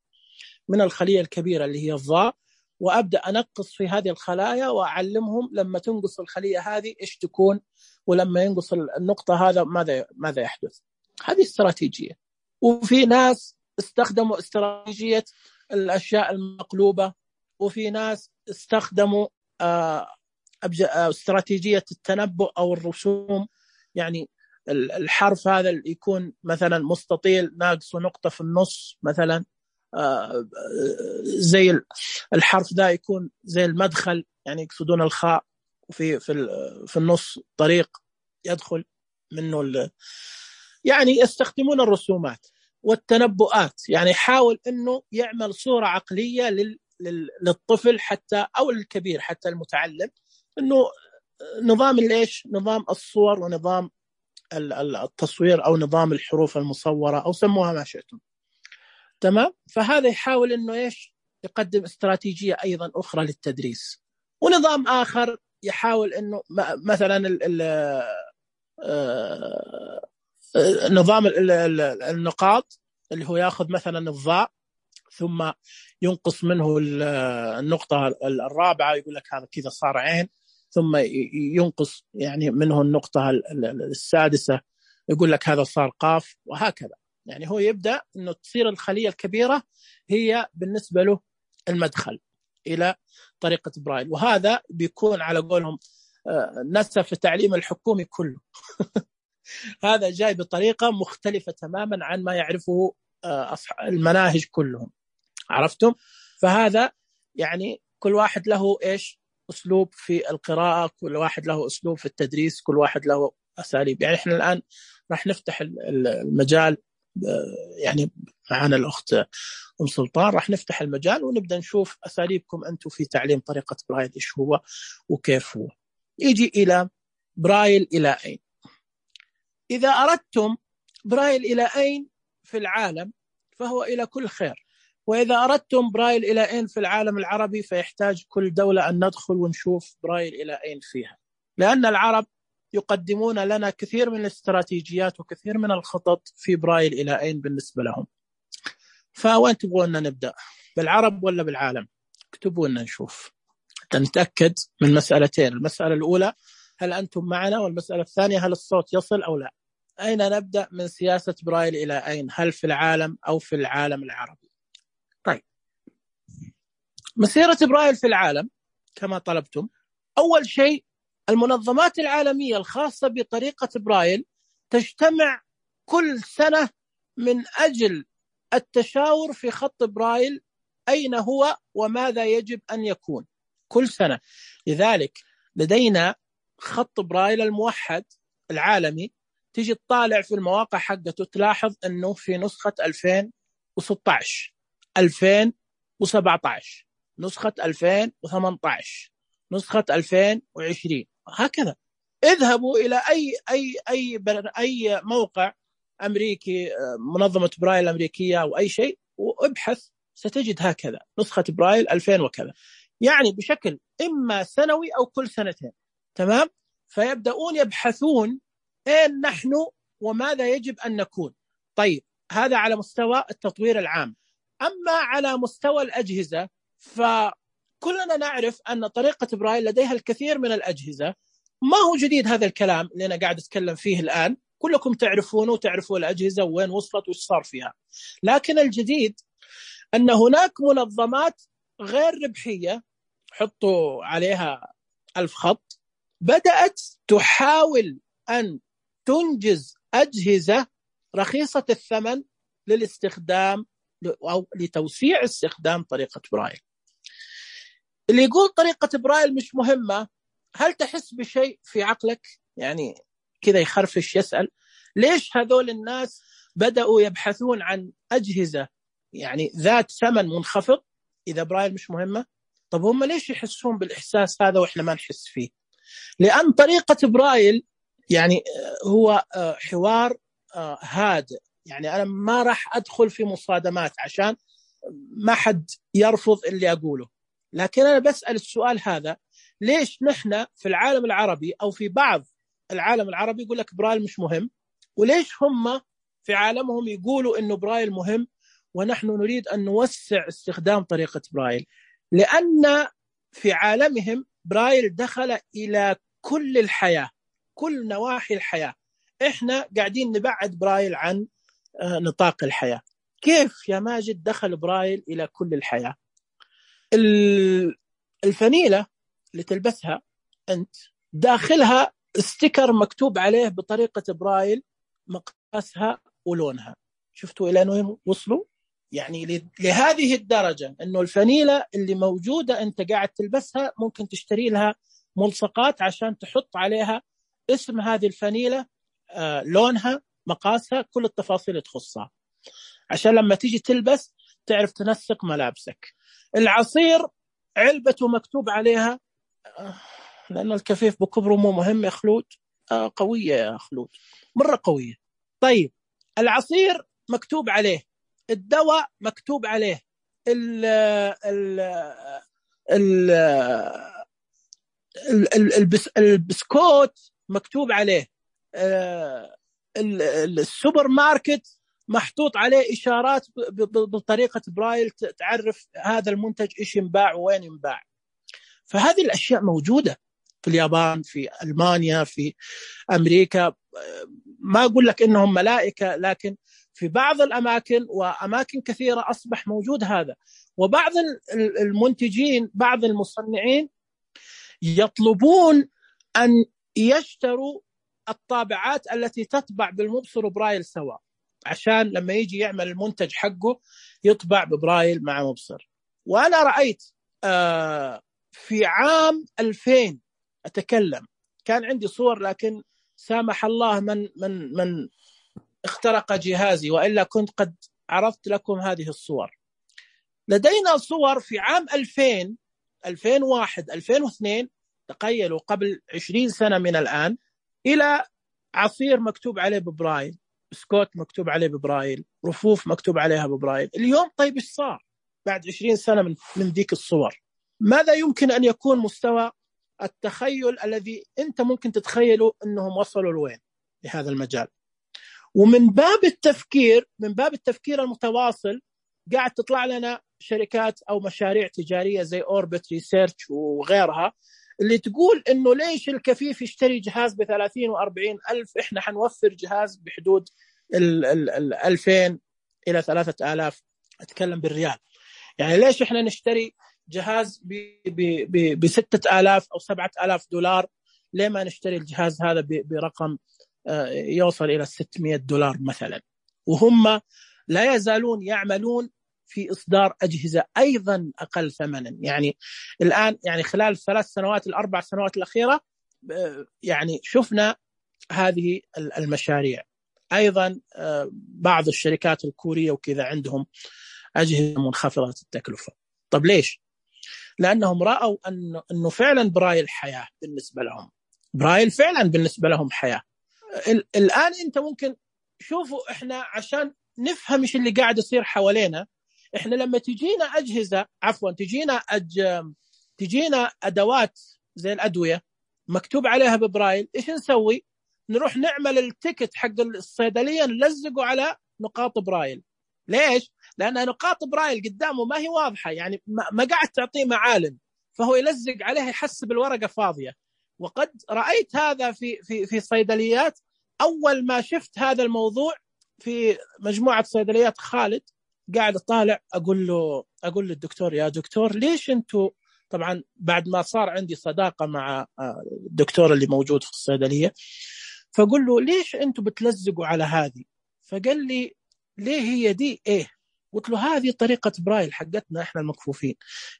من الخلية الكبيرة اللي هي الضاء، وأبدأ أنقص في هذه الخلايا وأعلمهم لما تنقص الخلية هذه إيش تكون، ولما ينقص النقطة هذا ماذا يحدث. هذه استراتيجية. وفي ناس استخدموا استراتيجية الأشياء المقلوبة، وفي ناس استخدموا استراتيجية التنبؤ أو الرسوم. يعني الحرف هذا يكون مثلا مستطيل ناقص نقطة في النص مثلا، زي الحرف ذا يكون زي المدخل، يعني يقصدون الخاء، وفي في النص طريق يدخل منه يعني يستخدمون الرسومات والتنبؤات. يعني حاول انه يعمل صورة عقلية للطفل حتى او الكبير حتى المتعلم، انه نظام نظام الصور ونظام التصوير او نظام الحروف المصورة او سموها ما شئتم. تمام. فهذا يحاول انه يقدم استراتيجية ايضا اخرى للتدريس. ونظام اخر يحاول انه مثلا نظام النقاط اللي هو ياخذ مثلا الضاء ثم ينقص منه النقطة الرابعة، يقول لك هذا كذا صار عين، ثم ينقص يعني منه النقطة السادسة، يقول لك هذا صار قاف وهكذا. يعني هو يبدأ أنه تصير الخلية الكبيرة هي بالنسبة له المدخل إلى طريقة برايل. وهذا بيكون على قولهم نسف التعليم الحكومي كله. هذا جاي بطريقة مختلفة تماما عن ما يعرفه المناهج كلهم. عرفتم؟ فهذا يعني كل واحد له أسلوب في القراءة، كل واحد له أسلوب في التدريس، كل واحد له أساليب. يعني إحنا الآن راح نفتح المجال، يعني معنا الأخت أم سلطان راح نفتح المجال ونبدأ نشوف أساليبكم أنتم في تعليم طريقة برايل إيش هو وكيف هو. يجي إلى برايل إلى أين. إذا أردتم برايل إلى أين في العالم فهو إلى كل خير، وإذا أردتم برايل إلى أين في العالم العربي فيحتاج كل دولة أن ندخل ونشوف برايل إلى أين فيها، لأن العرب يقدمون لنا كثير من الاستراتيجيات وكثير من الخطط في برايل إلى أين بالنسبة لهم. فوين تبغون نبدأ، بالعرب ولا بالعالم؟ اكتبوا لنا نشوف، نتأكد من مسألتين. المسألة الأولى هل أنتم معنا، والمسألة الثانية هل الصوت يصل أو لا. أين نبدأ من سياسة برايل إلى أين، هل في العالم أو في العالم العربي؟ طيب، مسيرة برايل في العالم كما طلبتم. أول شيء المنظمات العالمية الخاصة بطريقة برايل تجتمع كل سنة من أجل التشاور في خط برايل أين هو وماذا يجب أن يكون كل سنة. لذلك لدينا خط برايل الموحد العالمي تيجي تطالع في المواقع حقته تلاحظ أنه في نسخة 2016 2017 نسخة 2018 نسخة 2020 هكذا. اذهبوا إلى أي موقع أمريكي، منظمة برايل الأمريكية أو أي شيء، وابحث ستجد هكذا نسخة برايل 2000 وكذا، يعني بشكل إما سنوي أو كل سنتين. تمام؟ فيبدأون يبحثون أين نحن وماذا يجب أن نكون. طيب هذا على مستوى التطوير العام. أما على مستوى الأجهزة فكلنا نعرف أن طريقة برايل لديها الكثير من الأجهزة. ما هو جديد هذا الكلام اللي أنا قاعد أتكلم فيه الآن، كلكم تعرفونه وتعرفوا الأجهزة وين وصلت وش صار فيها. لكن الجديد أن هناك منظمات غير ربحية، حطوا عليها 1000 خط، بدأت تحاول أن تنجز أجهزة رخيصة الثمن للاستخدام أو لتوسيع استخدام طريقة برايل. اللي يقول طريقة برايل مش مهمة، هل تحس بشيء في عقلك يعني كذا يخرفش يسأل ليش هذول الناس بدأوا يبحثون عن أجهزة يعني ذات ثمن منخفض إذا برايل مش مهمة؟ طب هم ليش يحسون بالإحساس هذا وإحنا ما نحس فيه؟ لأن طريقة برايل يعني هو حوار هادئ، يعني أنا ما راح أدخل في مصادمات عشان ما حد يرفض اللي أقوله، لكن أنا بسأل السؤال هذا: ليش نحن في العالم العربي أو في بعض العالم العربي يقول لك برايل مش مهم، وليش هم في عالمهم يقولوا إنه برايل مهم ونحن نريد أن نوسع استخدام طريقة برايل؟ لأن في عالمهم برايل دخل إلى كل الحياة، كل نواحي الحياة. إحنا قاعدين نبعد برايل عن نطاق الحياة. كيف يا ماجد دخل برايل إلى كل الحياة؟ الفنيلة اللي تلبسها أنت داخلها ستيكر مكتوب عليه بطريقة برايل مقاسها ولونها. شفتوا إلى وين وصلوا؟ يعني لهذه الدرجة أنه الفنيلة اللي موجودة أنت قاعد تلبسها ممكن تشتري لها ملصقات عشان تحط عليها اسم هذه الفنيلة، لونها، مقاسها، كل التفاصيل تخصها، عشان لما تيجي تلبس تعرف تنسق ملابسك. العصير علبته مكتوب عليها، لأن الكفيف بكبره مو مهم يا خلود، قوية يا خلود، مرة قوية. طيب العصير مكتوب عليه، الدواء مكتوب عليه، البسكوت مكتوب عليه، السوبر ماركت محطوط عليه إشارات بطريقة برايل تعرف هذا المنتج إيش ينباع وين ينباع. فهذه الأشياء موجودة في اليابان، في ألمانيا، في أمريكا. ما أقول لك إنهم ملائكة، لكن في بعض الأماكن وأماكن كثيرة أصبح موجود هذا. وبعض المنتجين، بعض المصنعين يطلبون أن يشتروا الطابعات التي تطبع بالمبصر برايل سوا، عشان لما يجي يعمل المنتج حقه يطبع ببرايل مع مبصر. وأنا رأيت في عام 2000 أتكلم، كان عندي صور، لكن سامح الله من اخترق جهازي، وإلا كنت قد عرضت لكم هذه الصور. لدينا صور في عام 2000 2001 2002، تخيلوا قبل 20 سنة من الآن، إلى عصير مكتوب عليه ببرايل، بسكوت مكتوب عليه ببرايل، رفوف مكتوب عليها ببرايل. اليوم طيب إيش صار بعد 20 سنة من ذيك الصور؟ ماذا يمكن أن يكون مستوى التخيل الذي أنت ممكن تتخيله أنهم وصلوا لوين لهذا المجال؟ ومن باب التفكير المتواصل قاعد تطلع لنا شركات أو مشاريع تجارية زي أوربت ريسيرش وغيرها، اللي تقول إنه ليش الكفيف يشتري جهاز ب30 و40 ألف، إحنا حنوفر جهاز بحدود 2000 إلى 3000، أتكلم بالريال. يعني ليش إحنا نشتري جهاز ب6000 أو $7000، ليه ما نشتري الجهاز هذا برقم يوصل إلى $600 مثلا؟ وهم لا يزالون يعملون في إصدار أجهزة أيضا أقل ثمنا. يعني الآن، يعني خلال 3 سنوات 4 سنوات الأخيرة، يعني شفنا هذه المشاريع. أيضا بعض الشركات الكورية وكذا عندهم أجهزة منخفضة التكلفة. طب ليش؟ لأنهم رأوا أنه فعلا برايل حياة بالنسبة لهم، برايل فعلا بالنسبة لهم حياة. الآن أنت ممكن شوفوا إحنا عشان نفهم إيش اللي قاعد يصير حوالينا، إحنا لما تجينا أجهزة تجينا أدوات زي الأدوية مكتوب عليها ببرايل، إيش نسوي؟ نروح نعمل التيكت حق الصيدلية نلزقه على نقاط برايل. ليش؟ لأن نقاط برايل قدامه ما هي واضحة، يعني ما قاعد تعطيه معالم، فهو يلزق عليها يحسب الورقة فاضية. وقد رأيت هذا في صيدليات. أول ما شفت هذا الموضوع في مجموعة صيدليات خالد قاعد طالع أقول للدكتور يا دكتور ليش أنتوا، طبعا بعد ما صار عندي صداقة مع الدكتور اللي موجود في الصيدلية، فقل له ليش أنتوا بتلزقوا على هذه؟ فقال لي ليه هي دي إيه؟ قلت له هذه طريقة برايل حقتنا إحنا المكفوفين.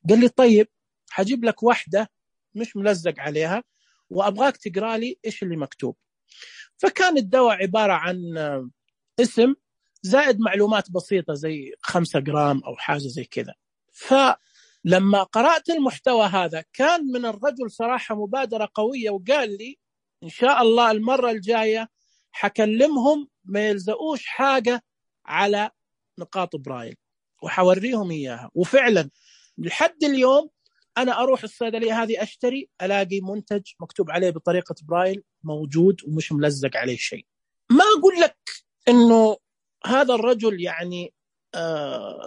قال لي طيب حجيب لك واحدة مش ملزق عليها وأبغاك تقرأ لي إيش اللي مكتوب. فكان الدواء عبارة عن اسم زائد معلومات بسيطة زي 5 جرام أو حاجة زي كذا. فلما قرأت المحتوى هذا كان من الرجل صراحة مبادرة قوية، وقال لي إن شاء الله المرة الجاية حكلمهم ما يلزقوش حاجة على نقاط برايل وحوريهم إياها. وفعلا لحد اليوم أنا أروح الصيدلية هذه أشتري ألاقي منتج مكتوب عليه بطريقة برايل موجود ومش ملزق عليه شيء. ما أقول لك إنه هذا الرجل يعني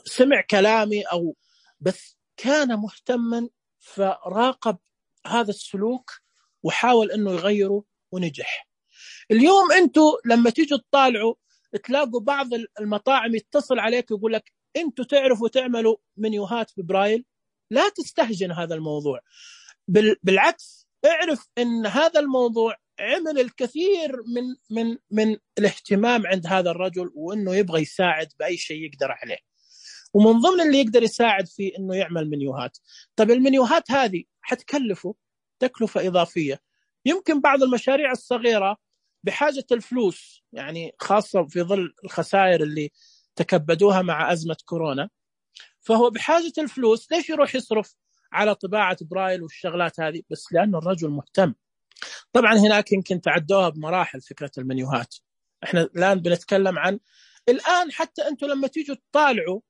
سمع كلامي أو بس كان مهتما، فراقب هذا السلوك وحاول إنه يغيره ونجح. اليوم أنتوا لما تيجوا تطالعوا تلاقوا بعض المطاعم يتصل عليك يقول لك أنتوا تعرفوا تعملوا منيوهات ببرايل، لا تستهجن هذا الموضوع، بالعكس اعرف أن هذا الموضوع عمل الكثير من الاهتمام عند هذا الرجل، وأنه يبغى يساعد بأي شيء يقدر عليه، ومن ضمن اللي يقدر يساعد فيه أنه يعمل منيوهات. طب المنيوهات هذه حتكلفه تكلفة إضافية. يمكن بعض المشاريع الصغيرة بحاجة الفلوس، يعني خاصة في ظل الخسائر اللي تكبدوها مع أزمة كورونا، فهو بحاجة الفلوس. ليش يروح يصرف على طباعة برايل والشغلات هذه؟ بس لأنه الرجل مهتم. طبعا هناك يمكن تعدوها بمراحل فكرة المنيوهات. احنا الآن بنتكلم عن الآن حتى أنتوا لما تيجوا تطالعوا،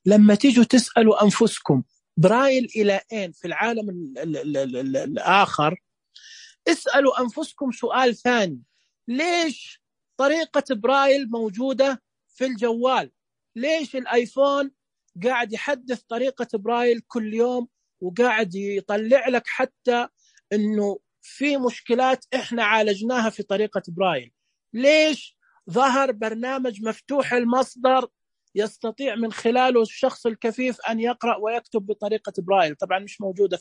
لما تيجوا تسألوا أنفسكم برايل إلى أين في العالم الآخر، اسألوا أنفسكم سؤال ثاني: ليش طريقة برايل موجودة في الجوال؟ ليش الآيفون قاعد يحدث طريقة برايل كل يوم وقاعد يطلع لك حتى إنه في مشكلات إحنا عالجناها في طريقة برايل؟ ليش ظهر برنامج مفتوح المصدر يستطيع من خلاله الشخص الكفيف أن يقرأ ويكتب بطريقة برايل؟ طبعا مش موجودة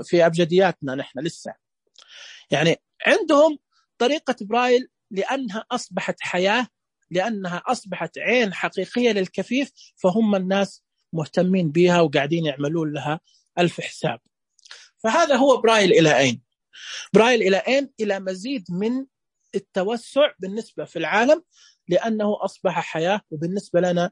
في أبجدياتنا نحن لسه. يعني عندهم طريقة برايل لأنها أصبحت حياة، لأنها أصبحت عين حقيقية للكفيف، فهم الناس مهتمين بها وقاعدين يعملون لها ألف حساب. فهذا هو برايل إلى أين. برايل إلى أين؟ إلى مزيد من التوسع بالنسبة في العالم، لأنه أصبح حياة، وبالنسبة لنا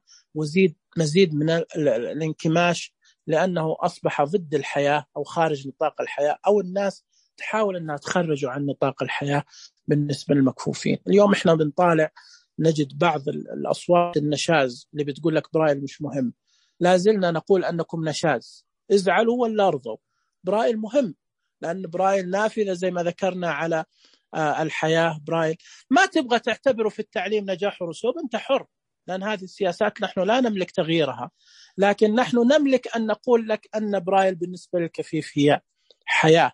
مزيد من الانكماش، لأنه أصبح ضد الحياة أو خارج نطاق الحياة، أو الناس تحاول أنها تخرجوا عن نطاق الحياة بالنسبة للمكفوفين. اليوم إحنا بنطالع نجد بعض الأصوات النشاز اللي بتقول لك برايل مش مهم. لا زلنا نقول أنكم نشاز، ازعلوا ولا ارضوا. برايل مهم، لأن برايل نافذة زي ما ذكرنا على الحياة. برايل ما تبغى تعتبره في التعليم نجاح ورسوب، أنت حر، لأن هذه السياسات نحن لا نملك تغييرها، لكن نحن نملك أن نقول لك أن برايل بالنسبة للكفيف هي حياة.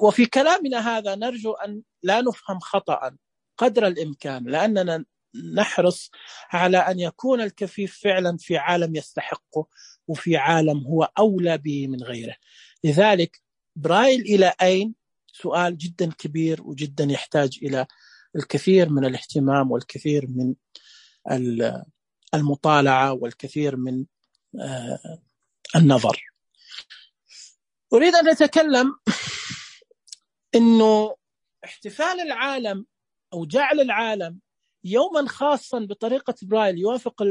وفي كلامنا هذا نرجو أن لا نفهم خطأ قدر الإمكان، لأننا نحرص على أن يكون الكفيف فعلا في عالم يستحقه، وفي عالم هو أولى به من غيره. لذلك برايل إلى أين؟ سؤال جدا كبير وجدا يحتاج إلى الكثير من الاهتمام والكثير من المطالعة والكثير من النظر. أريد أن أتكلم إنه احتفال العالم أو جعل العالم يوما خاصا بطريقة برايل يوافق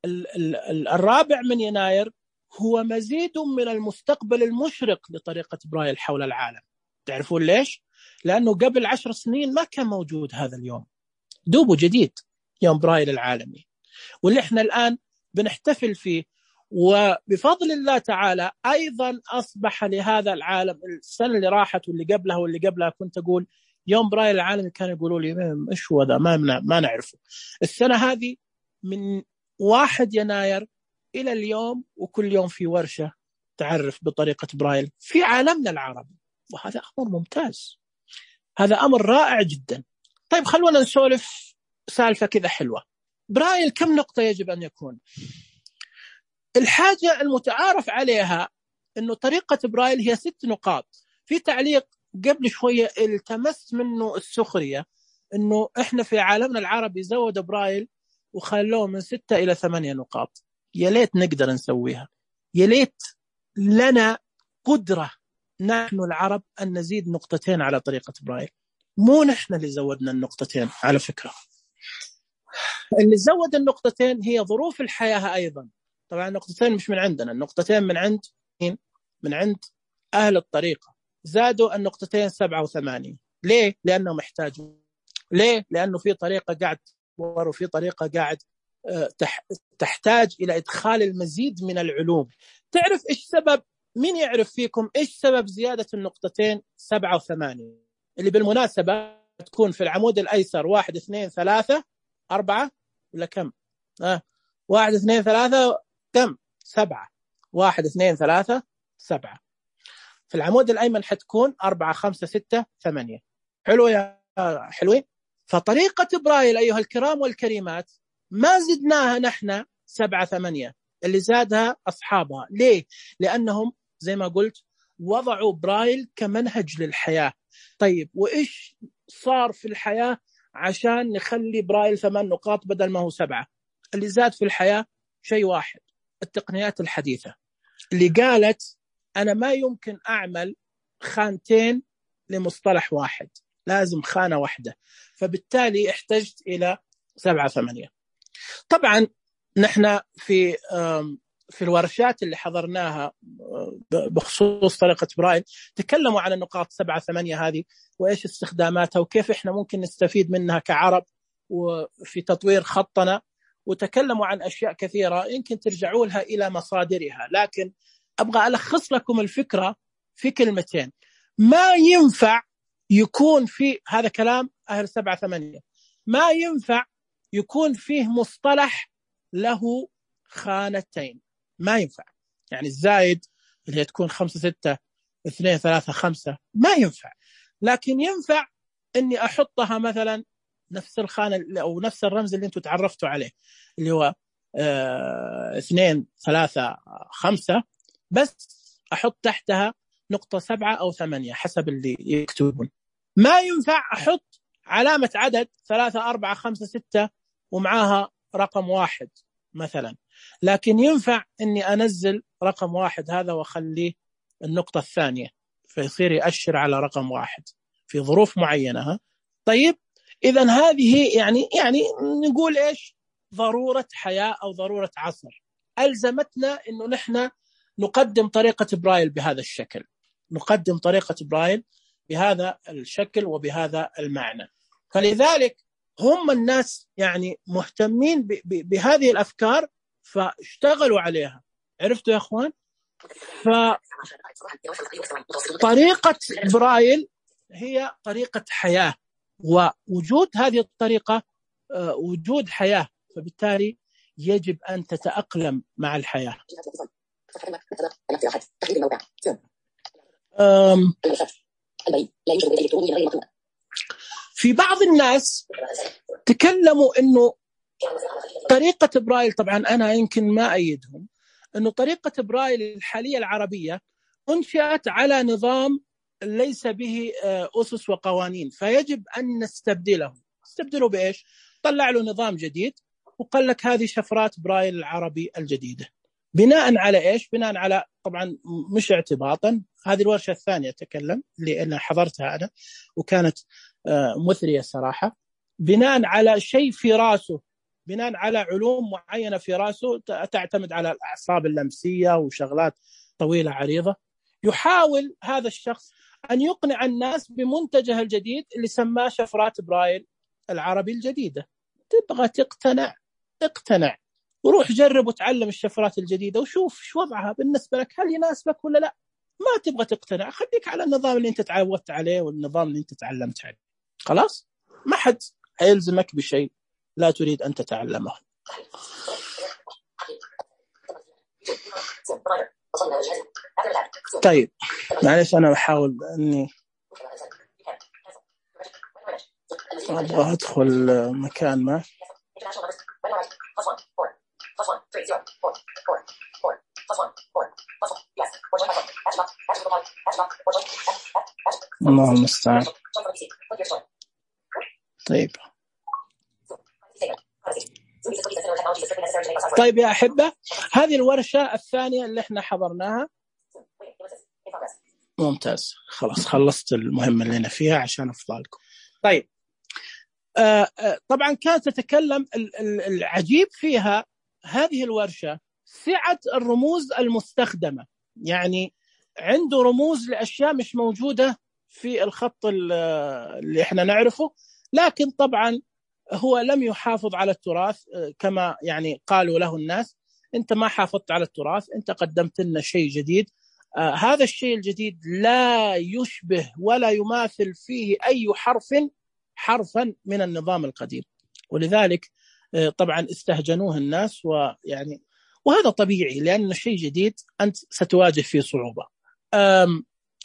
4 يناير هو مزيد من المستقبل المشرق لطريقة برايل حول العالم. تعرفون ليش؟ لأنه قبل 10 سنين ما كان موجود هذا اليوم، دوبه جديد يوم برايل العالمي، واللي احنا الآن بنحتفل فيه. وبفضل الله تعالى أيضا أصبح لهذا العالم السنة اللي راحت واللي قبلها واللي قبلها كنت أقول يوم برايل العالمي كانوا يقولوا لي إيش هو ذا، ما نعرفه. السنة هذه من 1 يناير إلى اليوم وكل يوم في ورشة تعرف بطريقة برايل في عالمنا العربي، وهذا أمر ممتاز، هذا أمر رائع جدا. طيب خلونا نسولف سالفة كذا حلوة. برايل كم نقطة يجب أن يكون؟ الحاجة المتعارف عليها أنه طريقة برايل هي 6 نقاط. في تعليق قبل شوية التمس منه السخرية أنه إحنا في عالمنا العربي زود برايل وخلوه من 6 إلى 8 نقاط. يا ليت نقدر نسويها، يا ليت لنا قدرة نحن العرب أن نزيد 2 نقطة على طريقة برايل. مو نحن اللي زودنا 2 نقطة على فكرة، اللي زود 2 نقطة هي ظروف الحياة أيضا. طبعا 2 نقطة مش من عندنا، 2 نقطة من عند أهل الطريقة. زادوا 2 نقطة 7 و8. ليه؟ لأنهم محتاجوا. ليه؟ لأنه في طريقة قاعد وفي طريقة قاعد تحتاج إلى إدخال المزيد من العلوم. تعرف إيش سبب؟ مين يعرف فيكم إيش سبب زيادة 2 نقطة 7 و8 اللي بالمناسبة تكون في العمود الأيسر 1 2 3 4 ولا كم؟ 1 2 3 كم؟ 7. 1 2 3 7. في العمود الأيمن حتكون 4 5 6 8. حلو يا حلوين. فطريقة برايل أيها الكرام والكريمات ما زدناها نحن 7 8، اللي زادها أصحابها. ليه؟ لأنهم زي ما قلت وضعوا برايل كمنهج للحياة. طيب وإيش صار في الحياة عشان نخلي برايل 8 نقاط بدل ما هو 7؟ اللي زاد في الحياة شيء واحد، التقنيات الحديثة اللي قالت أنا ما يمكن أعمل 2 خانتين لمصطلح واحد، لازم خانة واحدة. فبالتالي احتجت إلى 7 8. طبعا نحن في الورشات اللي حضرناها بخصوص طريقة برايل تكلموا عن النقاط 7 8 هذه وإيش استخداماتها وكيف إحنا ممكن نستفيد منها كعرب وفي تطوير خطنا، وتكلموا عن أشياء كثيرة يمكن ترجعوا لها إلى مصادرها. لكن أبغى ألخص لكم الفكرة في كلمتين. ما ينفع يكون في هذا كلام أهل 7 8، ما ينفع يكون فيه مصطلح له 2 خانتين، ما ينفع. يعني الزايد اللي تكون 5 6 2 3 5 ما ينفع، لكن ينفع أني أحطها مثلا نفس الخانة أو نفس الرمز اللي أنتم تعرفتوا عليه اللي هو 2 3 5، بس أحط تحتها نقطة 7 أو 8 حسب اللي يكتبون. ما ينفع أحط علامة عدد 3 4 5 6 ومعاها رقم 1 مثلا، لكن ينفع أني أنزل رقم 1 هذا وأخليه النقطة الثانية فيصير يأشر على رقم 1 في ظروف معينة. طيب إذن هذه يعني نقول إيش؟ ضرورة حياة أو ضرورة عصر ألزمتنا إنه نحن نقدم طريقة برايل بهذا الشكل، نقدم طريقة برايل بهذا الشكل وبهذا المعنى. فلذلك هم الناس يعني مهتمين بهذه الأفكار فاشتغلوا عليها. عرفتوا يا أخوان؟ فطريقة برايل هي طريقة حياة، ووجود هذه الطريقة وجود حياة، فبالتالي يجب أن تتأقلم مع الحياة. في بعض الناس تكلموا أنه طريقة برايل، طبعا أنا يمكن ما أيدهم، أنه طريقة برايل الحالية العربية أنشأت على نظام ليس به أسس وقوانين، فيجب أن نستبدله. استبدله بإيش؟ طلع له نظام جديد وقال لك هذه شفرات برايل العربي الجديدة. بناء على إيش؟ بناء على طبعا مش اعتباطا، هذه الورشة الثانية أتكلم اللي أنا حضرتها أنا وكانت مثرية صراحة. بناء على شيء في رأسه، بناء على علوم معينة في رأسه تعتمد على الأعصاب اللمسية وشغلات طويلة عريضة، يحاول هذا الشخص أن يقنع الناس بمنتجه الجديد اللي سماه شفرات برايل العربي الجديدة. تبغى تقتنع اقتنع وروح جرب وتعلم الشفرات الجديدة وشوف شو وضعها بالنسبة لك، هل يناسبك ولا لا. ما تبغى تقتنع خليك على النظام اللي انت تعودت عليه والنظام اللي انت تعلمت عليه، خلاص ما حد هيلزمك بشيء لا تريد أن تتعلمه. طيب معلش أنا بحاول أني أبغى أدخل مكان ما. الله المستعان. طيب يا أحبة، هذه الورشة الثانية اللي احنا حضرناها. ممتاز، خلاص خلصت المهمة اللي أنا فيها عشان أفضلكم. طيب طبعا كانت تتكلم العجيب فيها هذه الورشة سعة الرموز المستخدمة، يعني عنده رموز لأشياء مش موجودة في الخط اللي احنا نعرفه، لكن طبعا هو لم يحافظ على التراث كما يعني قالوا له الناس. انت ما حافظت على التراث، انت قدمت لنا شيء جديد. هذا الشيء الجديد لا يشبه ولا يماثل فيه أي حرفا من النظام القديم، ولذلك طبعا استهجنوه الناس، ويعني وهذا طبيعي لأن الشيء جديد أنت ستواجه فيه صعوبة.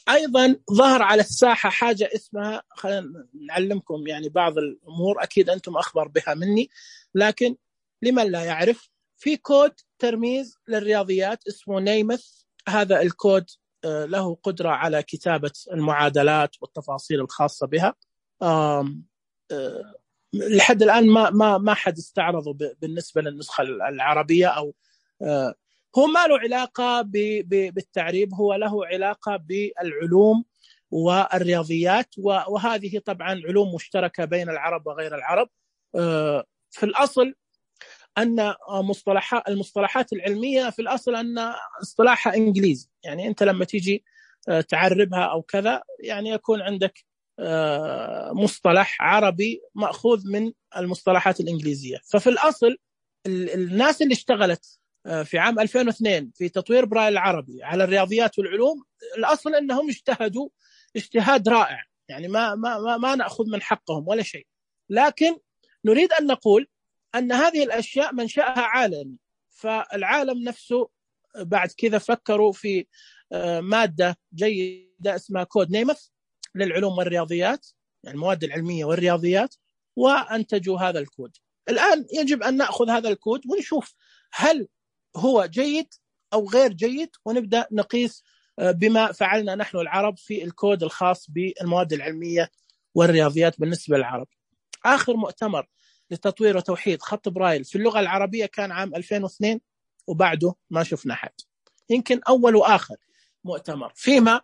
أيضا ظهر على الساحة حاجة اسمها، خلينا نعلمكم يعني بعض الأمور أكيد أنتم أخبر بها مني، لكن لمن لا يعرف، في كود ترميز للرياضيات اسمه نيمث. هذا الكود له قدرة على كتابة المعادلات والتفاصيل الخاصة بها. لحد الآن ما حد استعرضه بالنسبة للنسخة العربية، أو هو ما له علاقة بالتعريب، هو له علاقة بالعلوم والرياضيات، وهذه طبعا علوم مشتركة بين العرب وغير العرب. في الأصل أن المصطلحات العلمية في الأصل أن اصطلاحها إنجليزي، يعني أنت لما تيجي تعربها أو كذا يعني يكون عندك مصطلح عربي مأخوذ من المصطلحات الإنجليزية. ففي الأصل الناس اللي اشتغلت في عام 2002 في تطوير برايل العربي على الرياضيات والعلوم، الأصل أنهم اجتهدوا اجتهاد رائع، يعني ما نأخذ من حقهم ولا شيء، لكن نريد أن نقول أن هذه الأشياء منشأها عالمي. فالعالم نفسه بعد كذا فكروا في مادة جيدة اسمها كود نيمث للعلوم والرياضيات، يعني المواد العلمية والرياضيات، وأنتجوا هذا الكود. الآن يجب أن نأخذ هذا الكود ونشوف هل هو جيد أو غير جيد، ونبدأ نقيس بما فعلنا نحن العرب في الكود الخاص بالمواد العلمية والرياضيات بالنسبة للعرب. آخر مؤتمر لتطوير وتوحيد خط برايل في اللغة العربية كان عام 2002، وبعده ما شفنا حد. يمكن أول وآخر مؤتمر، فيما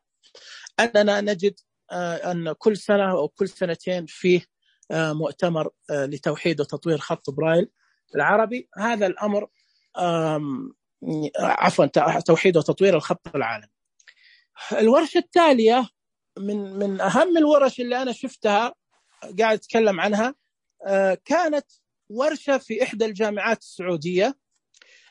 أننا نجد أن كل سنة أو كل سنتين فيه مؤتمر لتوحيد وتطوير خط برايل العربي. هذا الأمر توحيد وتطوير الخط العالمي. الورشة التالية من أهم الورش اللي أنا شفتها قاعد أتكلم عنها، كانت ورشة في إحدى الجامعات السعودية،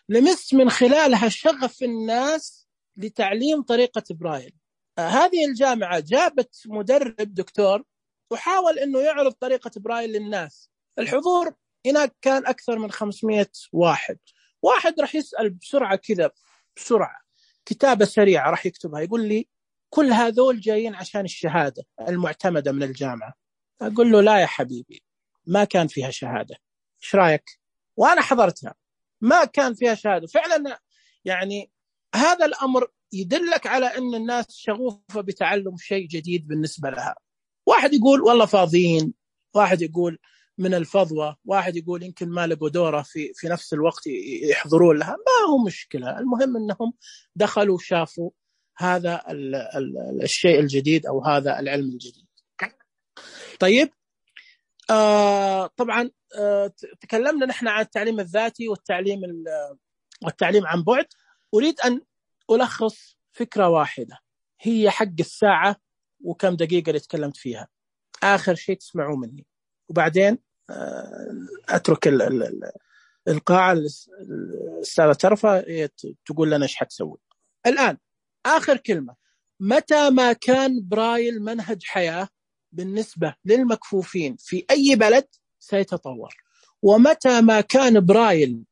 لمس من خلالها شغف الناس لتعليم طريقة برايل. هذه الجامعة جابت مدرب دكتور وحاول أنه يعرض طريقة برايل للناس. الحضور هناك كان أكثر من 500 واحد راح يسأل بسرعة كذا، بسرعة كتابة سريعة راح يكتبها، يقول لي كل هذول جايين عشان الشهادة المعتمدة من الجامعة. أقول له لا يا حبيبي، ما كان فيها شهادة، إيش رأيك؟ وأنا حضرتها، ما كان فيها شهادة فعلا. يعني هذا الأمر يدلك على أن الناس شغوفة بتعلم شيء جديد بالنسبة لها. واحد يقول والله فاضيين، واحد يقول من الفضوى، واحد يقول يمكن ما لقوا دوره في نفس الوقت يحضرون لها، ما هو مشكلة. المهم أنهم دخلوا وشافوا هذا الشيء الجديد أو هذا العلم الجديد. طيب طبعا تكلمنا نحن عن التعليم الذاتي والتعليم عن بعد. أريد أن ألخص فكرة واحدة هي حق الساعة وكم دقيقة اللي تكلمت فيها، آخر شيء تسمعوا مني، وبعدين أترك القاعة الأستاذة ترفع تقول لنا إيش حتسوي. الآن آخر كلمة، متى ما كان برايل منهج حياة بالنسبة للمكفوفين في أي بلد سيتطور، ومتى ما كان برايل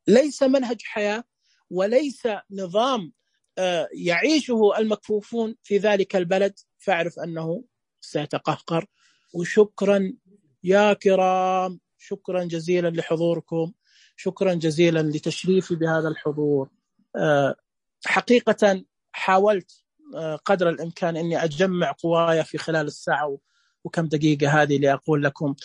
ليس منهج حياة وليس نظام يعيشه المكفوفون في ذلك البلد، فاعرف أنه سيتقهقر. وشكرا يا كرام، شكرا جزيلا لحضوركم، شكرا جزيلا لتشريفي بهذا الحضور. حقيقة حاولت قدر الإمكان أني أجمع قوايا في خلال الساعة وكم دقيقة هذه لأقول لكم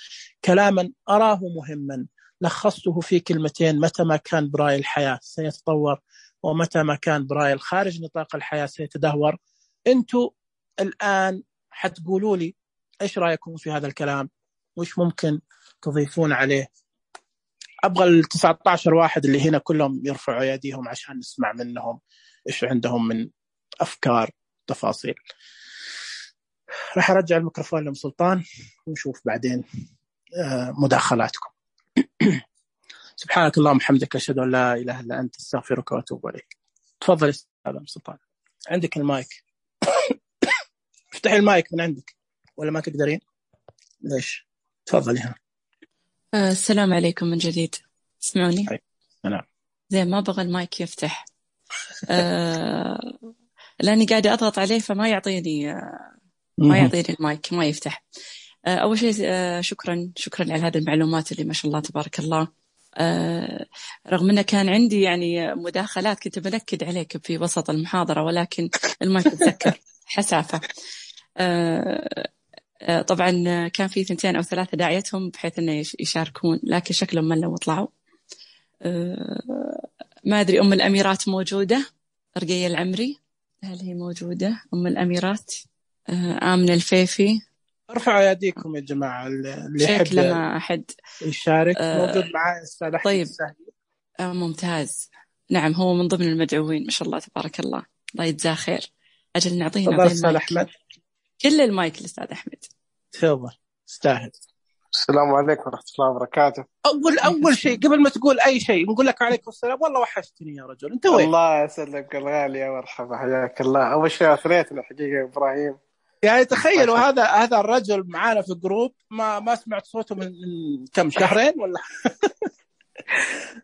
كلاما أراه مهما، لخصته في كلمتين: متى ما كان برايل الحياة سيتطور، ومتى ما كان برايل خارج نطاق الحياة سيتدهور. أنتوا الآن حتقولوا لي إيش رأيكم في هذا الكلام، وإيش ممكن تضيفون عليه. أبغى 19 واحد اللي هنا كلهم يرفعوا يديهم عشان نسمع منهم إيش عندهم من أفكار تفاصيل. راح أرجع الميكروفون لأم سلطان ونشوف بعدين مداخلاتكم. سبحانك اللهم وبحمدك، أشهد أن لا إله إلا أنت، أستغفرك وأتوب إليك. تفضل أستاذ أم سلطان، عندك المايك. افتح المايك من عندك ولا ما تقدرين؟ ليش؟ تفضلي هنا. السلام عليكم من جديد، تسمعوني؟ نعم. زي ما بغى المايك يفتح لأني قاعدة أضغط عليه فما يعطيني المايك، ما يفتح. أول شيء شكرا على هذه المعلومات اللي ما شاء الله تبارك الله. رغم أنه كان عندي يعني مداخلات كنت بنكد عليك في وسط المحاضرة، ولكن المايك تذكر حسافة. طبعا كان في 2 أو 3 داعيتهم بحيث أنه يشاركون، لكن شكلهم ملوا وطلعوا. ما أدري أم الأميرات موجودة؟ رقية العمري هل هي موجودة؟ أم الأميرات آمنة الفيفي؟ ارفعوا يديكم يا جماعة اللي يحب ما أحد يشارك. موجود معي أستاذ أحمد. طيب ممتاز، نعم هو من ضمن المدعوين ما شاء الله تبارك الله، الله يجزاه خير. أجل نعطيه أستاذ أحمد، كل المايك للأستاذ أحمد. تفضل استاهل. السلام عليكم ورحمة الله وبركاته. أول شيء قبل ما تقول أي شيء نقول لك عليكم السلام، والله وحشتني يا رجل، أنت وين؟ الله يسلمك الغالي يا مرحبا، حياك الله. أول شيء أثريتنا حقيقة إبراهيم، يعني تخيلوا هذا الرجل معانا في جروب ما سمعت صوته من كم شهرين ولا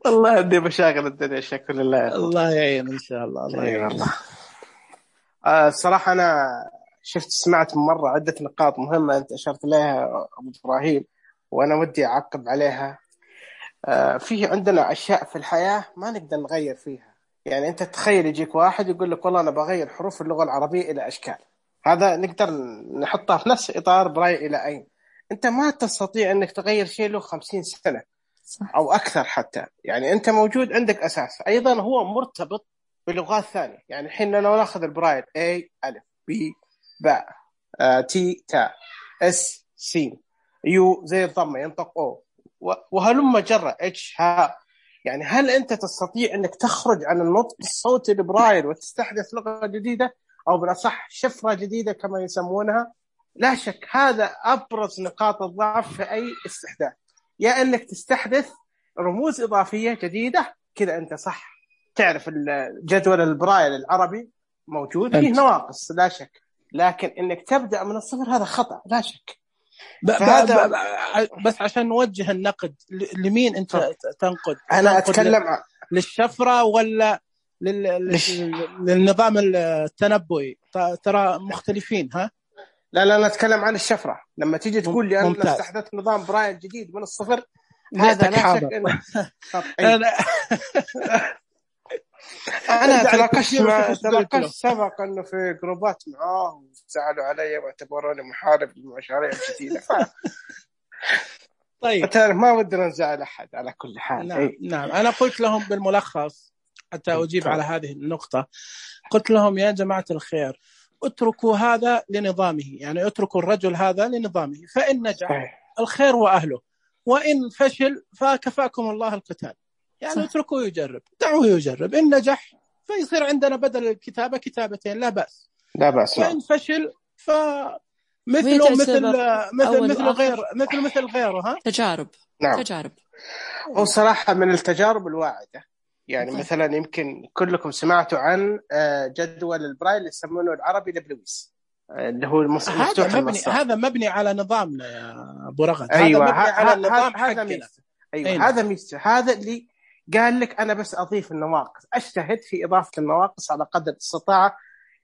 والله عندي مشاغل الدنيا، شكرا لله. الله يعين إن شاء الله. الله يعين الله. الصراحة أنا سمعت مرة عدة نقاط مهمة أنت أشرت لها أبو إبراهيم، وأنا ودي أعقب عليها. فيه عندنا أشياء في الحياة ما نقدر نغير فيها. يعني أنت تخيل يجيك واحد يقول لك والله أنا بغير حروف اللغة العربية إلى أشكال، هذا نقدر نحطها في نفس إطار براي إلى أين. أنت ما تستطيع أنك تغير شيء له 50 سنة أو أكثر حتى. يعني أنت موجود عندك أساس، أيضا هو مرتبط بلغات ثانية. يعني الحين لو نأخذ البرايل A ألف B باء T تاء S سين U زي الضمة ينطق O وهلم جرة H ها. يعني هل أنت تستطيع أنك تخرج عن النطق الصوتي البرايل وتستحدث لغة جديدة، أو بالأصح شفرة جديدة كما يسمونها؟ لا شك هذا أبرز نقاط الضعف في أي استحداث، يا أنك تستحدث رموز إضافية جديدة كذا أنت صح. تعرف الجدول البرايل العربي موجود فيه نواقص لا شك، لكن أنك تبدأ من الصفر هذا خطأ لا شك. بس عشان نوجه النقد لمين أنت تنقد؟ أنا أتكلم للشفرة ولا للنظام التنبؤي؟ ترى مختلفين. ها لا أنا أتكلم عن الشفرة. لما تيجي تقول لي أنا استحدثت نظام برايل جديد من الصفر، هذا لا شك أنا تناقشت سبق أنه في جروبات معاه وزعلوا علي واعتبروني محارب للمشاريع الجديدة. طيب تعرف ما ودنا نزعل أحد على كل حال. نعم نعم، أنا قلت لهم بالملخص حتى أجيب على هذه النقطة، قلت لهم يا جماعة الخير اتركوا هذا لنظامه، يعني اتركوا الرجل هذا لنظامه، فإن نجح الخير وأهله، وإن فشل فكفاكم الله القتال. يعني اتركوا يجرب، دعوه يجرب، إن نجح فيصير عندنا بدل الكتابة كتابتين لا بأس، لا بأس. وإن فشل مثل غيره ها تجارب. نعم. تجارب. وصراحة من التجارب الواعدة، يعني مثلا يمكن كلكم سمعتوا عن جدول البرايل اللي يسمونه العربي لبلويس، اللي هو مفتوح المسار. هذا مبني على نظامنا يا أبو رغد. أيوة. هذا مبني على النظام هذا ميزة. أيوة. هذا ميزة. هذا اللي قال لك أنا بس أضيف النواقص، أجتهد في إضافة النواقص على قدر الاستطاعة،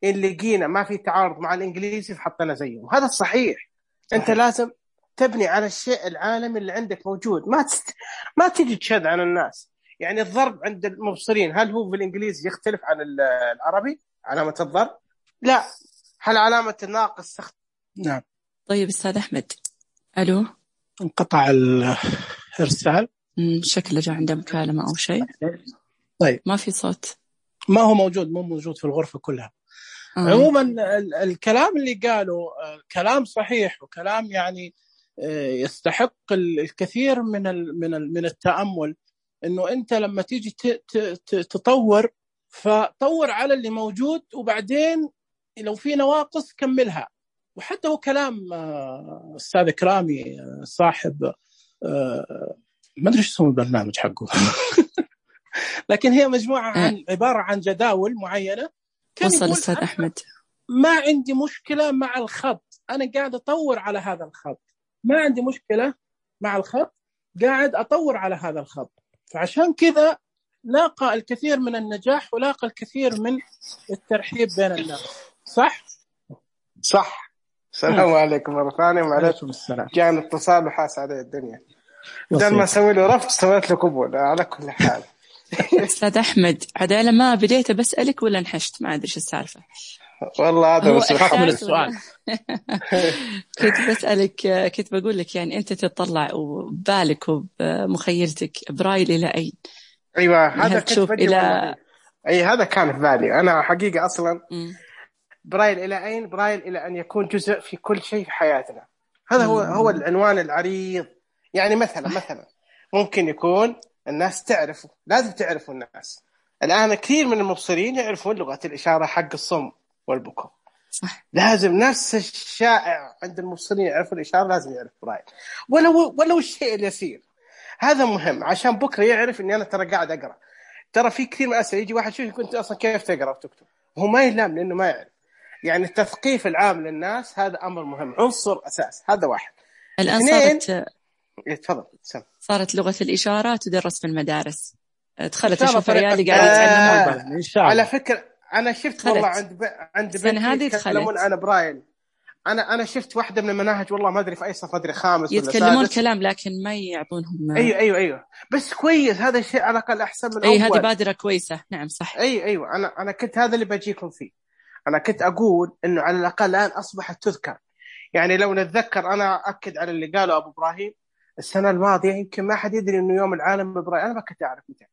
اللي لقينا ما في تعارض مع الإنجليزي فحطنا زيهم. هذا الصحيح. أنت لازم تبني على الشيء العالمي اللي عندك موجود، ما تيجي تشذ عن الناس. يعني الضرب عند المبصرين هل هو بالإنجليزي يختلف عن العربي؟ علامة الضرب لا، هل علامة الناقص نعم. طيب أستاذ أحمد، ألو، انقطع الإرسال، شكله جاء عنده مكالمة أو شيء. طيب ما في صوت، ما هو موجود، مو موجود في الغرفة كلها. عموما الكلام اللي قاله كلام صحيح، وكلام يعني يستحق الكثير من التأمل. إنه أنت لما تيجي تطور، فطور على اللي موجود، وبعدين لو في نواقص كملها. وحتى هو كلام أستاذ كرامي صاحب ما أدري اسمه البرنامج حقه لكن هي مجموعة عبارة عن جداول معينة. وصل أستاذ أحمد، ما عندي مشكلة مع الخط، أنا قاعد أطور على هذا الخط، ما عندي مشكلة مع الخط، قاعد أطور على هذا الخط. فعشان كذا لاقى الكثير من النجاح، ولاقى الكثير من الترحيب بين الناس. صح. السلام عليكم مرة ثانية. وعليكم السلام. جاء الاتصال وحاس عليه الدنيا، بدل ما أسوي له رفض سويت له قبول. على كل حال أستاذ أحمد، عدالة ما بديت بسألك ولا انحشت؟ ما أدري إيش السالفة والله. هذا بس من السؤال كنت بسألك، كنت بقول لك يعني أنت تطلع وبالك وبمخيلتك برايل إلى أين؟ أيوة هذا تشوف إلى هذا كان في بالي أنا حقيقة أصلا. برايل إلى أين؟ برايل إلى أن يكون جزء في كل شيء في حياتنا. هذا هو العنوان العريض. يعني مثلا ممكن يكون الناس تعرفه، لازم تعرفوا الناس. الآن كثير من المبصرين يعرفون لغة الإشارة حق الصم والبكم، صح. لازم نفس الشائع عند المبصرين يعرفوا الإشارة، لازم يعرف برايل ولو الشيء اليسير. هذا مهم عشان بكرة يعرف إني أنا ترى قاعد أقرأ. ترى في كثير من الأسئلة يجي واحد شوف كنت أصلا كيف تقرأ وتكتب، هو ما يلام لأنه ما يعرف. يعني التثقيف العام للناس هذا أمر مهم، عنصر أساس. هذا واحد. الآن صارت لغة الإشارة تدرس في المدارس، دخلت أشوف عيالي قاعد يتعلمون. على فكرة أنا شفت والله عند بنتي يتكلمون عن برايل. أنا شفت واحدة من المناهج والله ما أدري في أي صف، ما أدري خامس يتكلمون كلام لكن ما يعطونهم. أيوة بس كويس، هذا الشيء على الأقل أحسن من أول. هذه بادرة كويسة. نعم صح. أيوة أنا كنت هذا اللي بجيكم فيه. أنا كنت أقول إنه على الأقل الآن أصبحت تذكر. يعني لو نتذكر، أنا أكد على اللي قاله أبو إبراهيم، السنة الماضية يمكن ما حد يدري إنه يوم العالم بالبرايل، أنا ما كنت أعرف متى.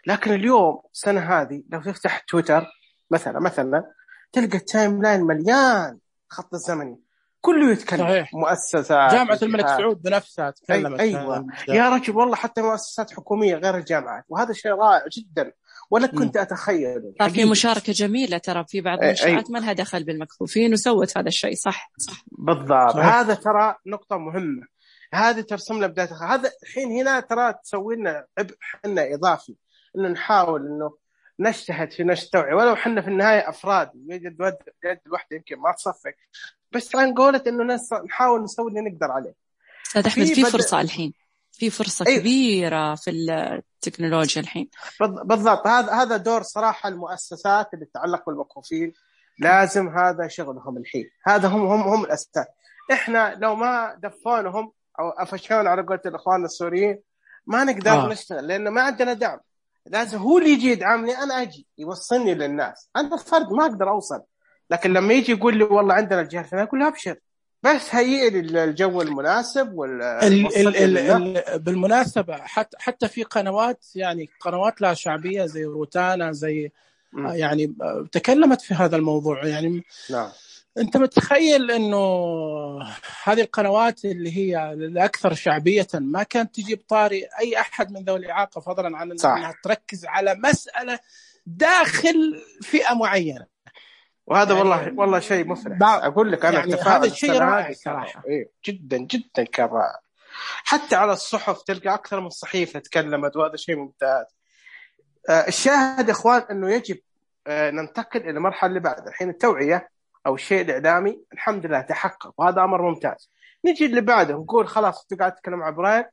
لكن اليوم السنة هذه لو تفتح تويتر مثلا تلقى التايم لاين مليان خط الزمني كله يتكلم. صحيح. مؤسسات جامعة الملك سعود بنفسها تكلمت. أيوة يا رجل والله، حتى مؤسسات حكومية غير الجامعات، وهذا شيء رائع جدا ولا كنت أتخيل. في مشاركة جميلة ترى في بعض المنشآت ما لها دخل بالمكفوفين وسوت هذا الشيء. صح بالضبط. هذا ترى نقطة مهمة، هذه ترسم لنا بداية. هذا الحين هنا ترى تسوي لنا عبء حنا إضافي، إنه نحاول إنه نجتهد في نشر توعية، ولو حنا في النهاية أفراد يد الوحدة يمكن ما تصفق، بس عن قولة إنه نحاول نسوي اللي نقدر عليه. أستاذ أحمد، في فرصة الحين، في فرصة كبيرة في التكنولوجيا الحين. بالضبط. هذا دور صراحة المؤسسات اللي تتعلق بالمكفوفين، لازم هذا شغلهم الحين. هذا هم الأساس. إحنا لو ما دفونهم أو أفشون على قولة الإخوان السوريين ما نقدر نشتغل، لأنه ما عندنا دعم. لازم هو اللي يجي يدعمني، أنا أجي يوصلني للناس. أنا فرد ما أقدر أوصل، لكن لما يجي يقول لي والله عندنا الجهة الفلانية أقول له أبشر، بس هيئ لي الجو المناسب بالمناسبة حتى في قنوات، يعني قنوات لها شعبية زي روتانا، زي يعني تكلمت في هذا الموضوع. يعني نعم. أنت متخيل أنه هذه القنوات اللي هي الأكثر شعبية ما كانت تجي بطاري أي أحد من ذوي الإعاقة، فضلا عن أنها تركز على مسألة داخل فئة معينة. وهذا يعني والله شيء مفرح. أقول لك أنا يعني هذا الشيء رائع صراحة. إيه جدا جدا كان رائع. حتى على الصحف تلقى أكثر من صحيفة تكلمت، وهذا شيء ممتاز. الشاهد إخوان أنه يجب ننتقل إلى المرحلة اللي بعد. الحين التوعية أو الشيء الإعلامي الحمد لله تحقق، وهذا أمر ممتاز. نجي اللي بعده نقول خلاص تقعد تتكلم عن برايل،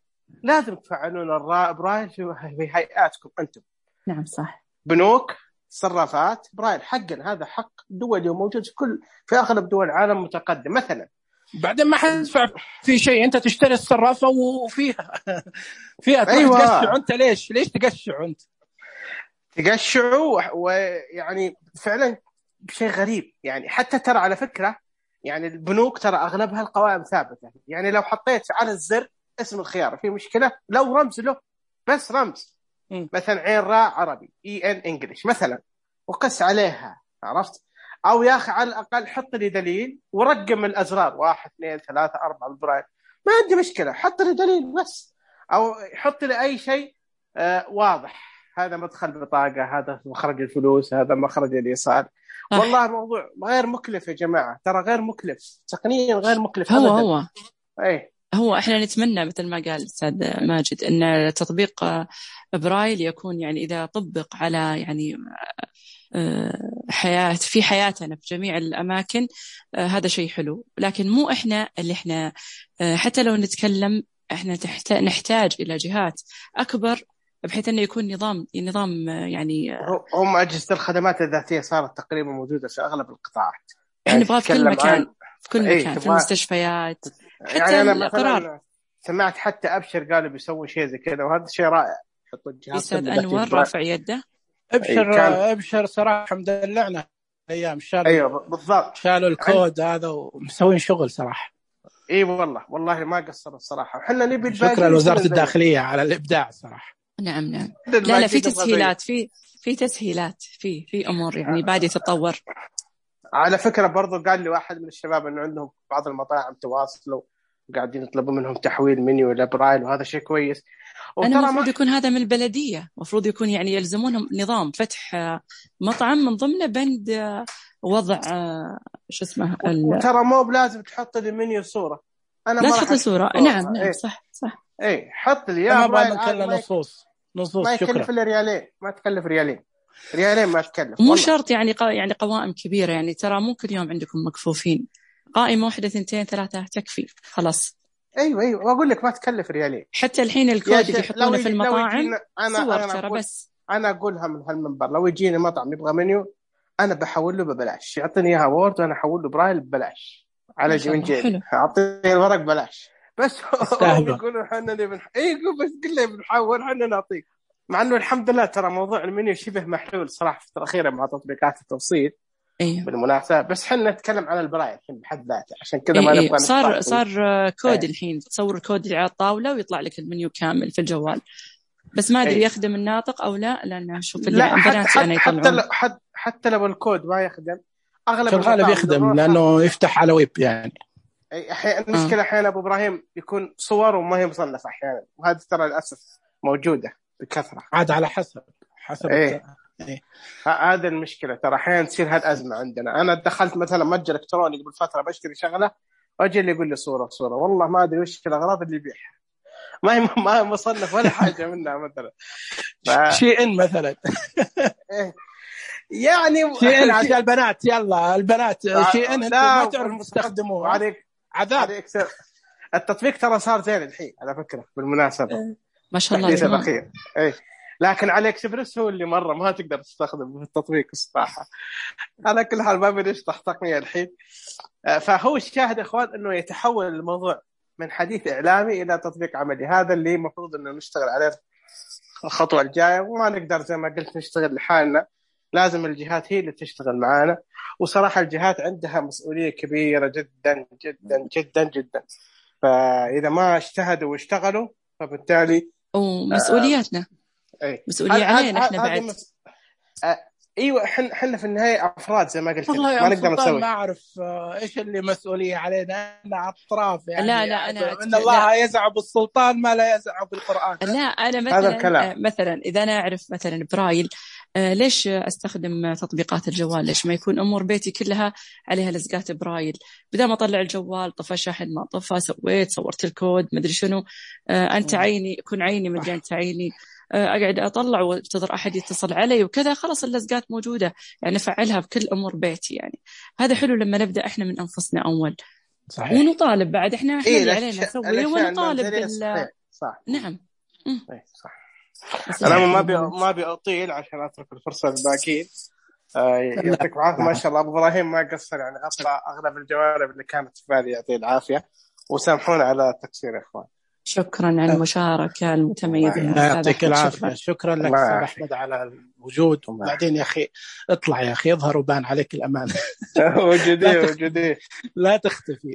لازم تفعلون برايل في هيئاتكم أنتم. نعم صح. بنوك، صرافات، برايل حقا هذا حق دولي وموجود في أغلب دول العالم متقدم. مثلا بعدين ما حدفع في شيء، أنت تشتري الصرافة وفيها أيوة. تقشع أنت ليش تقشع أنت؟ تقشعوا. ويعني فعلا شيء غريب. يعني حتى ترى على فكرة يعني البنوك ترى أغلبها القوائم ثابتة. يعني لو حطيت على الزر اسم الخيار في مشكلة، لو رمز له بس رمز مثلا عين راء عربي EN إنجليش مثلا وقس عليها، عرفت؟ أو يا أخي على الأقل حط لي دليل ورقم الأزرار 1 2 3 4 بالبرايل، ما عندي مشكلة، حط لي دليل بس. أو حط لي أي شيء واضح، هذا مدخل بطاقة، هذا مخرج الفلوس، هذا مخرج الإيصال. والله موضوع غير مكلف يا جماعة، ترى غير مكلف تقنيا، غير مكلف أبدا. هو احنا نتمنى مثل ما قال الأستاذ ماجد ان تطبيق برايل يكون يعني إذا طبق على يعني في حياتنا في جميع الأماكن هذا شيء حلو. لكن مو إحنا اللي إحنا حتى لو نتكلم إحنا نحتاج إلى جهات أكبر بحيث أنه يكون نظام يعني هم أجهزة الخدمات الذاتية صارت تقريبا موجودة في أغلب القطاعات. إحنا نبغى في كل مكان في كل مكان في المستشفيات. حتى يعني أنا القرار سمعت حتى أبشر قالوا بيسوي شيء زي كذا، وهذا شيء رائع. حطوا الجهاز أستاذ أنور رافع يده. أبشر صراحة مدلعنا أيام شالوا. أيوة بالضبط، شالوا الكود هذا ومسوين شغل صراحة. إيه والله ما قصروا الصراحة. وحنا نبي شكرا لوزارة الداخلية على الإبداع صراحة. نعم. لا في تسهيلات، في تسهيلات في أمور يعني بعد تتطور. على فكرة برضو قال لي واحد من الشباب إنه عندهم بعض المطاعم تواصلوا وقاعدين يطلبوا منهم تحويل منيو إلى برايل، وهذا شيء كويس. أنا المفروض يكون هذا من البلدية، مفروض يكون يعني يلزمونهم نظام فتح مطعم من ضمنه بند وضع شو اسمه وترى مو بلازم تحط لي منيو صورة. أنا لا تحط صورة. نعم إيه. صح إيه حط لي يا برايل نصوص ما يكلف إلا ريالين، ما تكلف ريالين ما تكلف. مو شرط يعني قوائم كبيرة، يعني ترى مو كل يوم عندكم مكفوفين، قائمة 1 2 3 تكفي خلاص. ايوه واقول لك ما تكلف ريالين. حتى الحين الكود اللي يحطونه في المطاعم صور ترى بس. انا اقولها من هالمنبر، لو يجيني مطعم يبغى منيو انا بحول له ببلاش، يعطيني اياها وورد وانا احول له برايل ببلاش على جيبي، اعطيني الورق ببلاش بس. يقولوا احنا نبي بس قل لي بنحول احنا نعطيك. مع انه الحمد لله ترى موضوع المنيو شبه محلول صراحه في الاخيره مع تطبيقات التوصيل. أيوه. بالمناسبة بس حنا نتكلم عن البرايل الحين بحد ذاته، عشان كذا ما نبغى صار كود الحين تصور الكود اللي على الطاولة ويطلع لك المنيو كامل في الجوال، بس ما أدري يخدم الناطق أو لا، لأن أشوف البنات أنا يطلعون حتى لو الكود ما يخدم أغلب الغالب يخدم لأنه يفتح على ويب يعني. المشكلة أحيانا أبو إبراهيم يكون صور وما هي مصنفة أحيانا، وهذا ترى للأسف موجودة بكثرة. عاد على حسب هذا المشكلة ترى أحيانا تصير هالأزمة عندنا. أنا دخلت مثلا متجر إلكتروني قبل فترة بشتري شغلة وأجي اللي يقول لي صورة والله ما أدري وش الأغراض اللي يبيعها، ما مصنف ولا حاجة منها مثلا شيء مثلا يعني شيء عشان البنات، يلا البنات شيء ما تعرف تستخدموه عذاب. التطبيق ترى صار زين الحين على فكرة بالمناسبة ما شاء الله الأخير. لكن على اكسبرس هو اللي مرة ما تقدر تستخدم التطبيق الصراحة. على كل حال ما بنشطح تقنية الحين. فهو الشاهد إخوان أنه يتحول الموضوع من حديث إعلامي إلى تطبيق عملي. هذا اللي مفروض أنه نشتغل عليه الخطوة الجاية، وما نقدر زي ما قلت نشتغل لحالنا، لازم الجهات هي اللي تشتغل معانا. وصراحة الجهات عندها مسؤولية كبيرة جدا جدا جدا جدا، فإذا ما اجتهدوا واشتغلوا فبالتالي ومسؤولياتنا مسؤولية علينا إحنا بعد. ايوه احنا في النهايه افراد زي ما قلت، والله ما يا نقدر سلطان نسوي. ما اعرف ايش اللي مسؤوليه علينا، انا اطراف يعني. لا انا ان الله يزع بالسلطان ما لا يزع بالقران. لا انا هذا الكلام. مثلا اذا انا اعرف مثلا برايل، ليش استخدم تطبيقات الجوال؟ ليش ما يكون امور بيتي كلها عليها لزقات برايل؟ بدل ما اطلع الجوال طفى شحن ما طفى، صورت الكود ما ادري شنو، انت عيني كن عيني مدري انت عيني، اقعد اطلع وانتظر احد يتصل علي وكذا، خلاص اللزقات موجوده يعني افعلها بكل امور بيتي. يعني هذا حلو لما نبدا احنا من انفسنا اول. صحيح. ونطالب بعد احنا اللي علينا نسويه ونطالب صح. نعم. صح. أنا ما بأطيل عشان أترك الفرصة للباقيين. يعطيك العافية ما شاء الله. أبو إبراهيم ما قصر يعني، أطلع أغلب الجوانب اللي كانت في بالي. يعطيه العافية وسامحونا على التقصير يا إخوان. شكرا على المشاركة المتميزة. يعطيك العافية. شكرا لك أستاذ أحمد على الوجود. بعدين يا أخي اطلع يا أخي، اظهر وبان عليك الأمان. وجودي لا تختفي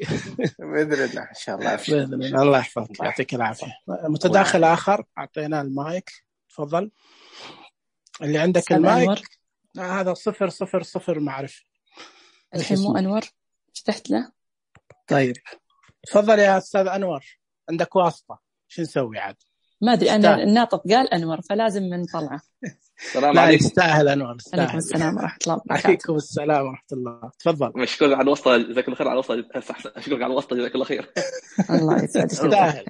بإذن الله إن شاء الله. بإذن الله. الله يحفظك. يعطيك العافية. متداخل آخر أعطينا المايك، تفضل. اللي عندك المايك هذا 000 معرف. الحين مو أنور فتحت له. طيب تفضل يا أستاذ أنور، عندك واسطة، شو نسوي عاد؟ ما أدري أنا الناطق قال أنور فلازم من طلعه. السلام عليكم. يستاهل أنور. عليكم السلام ورحمة الله وبركاته. عليكم السلام ورحمة الله. تفضل. مشكور على الوسطى، جزاك الله خير على الوسطى. أشكرك على الوسطى، جزاك الله خير. الله يسعدك. يستاهل.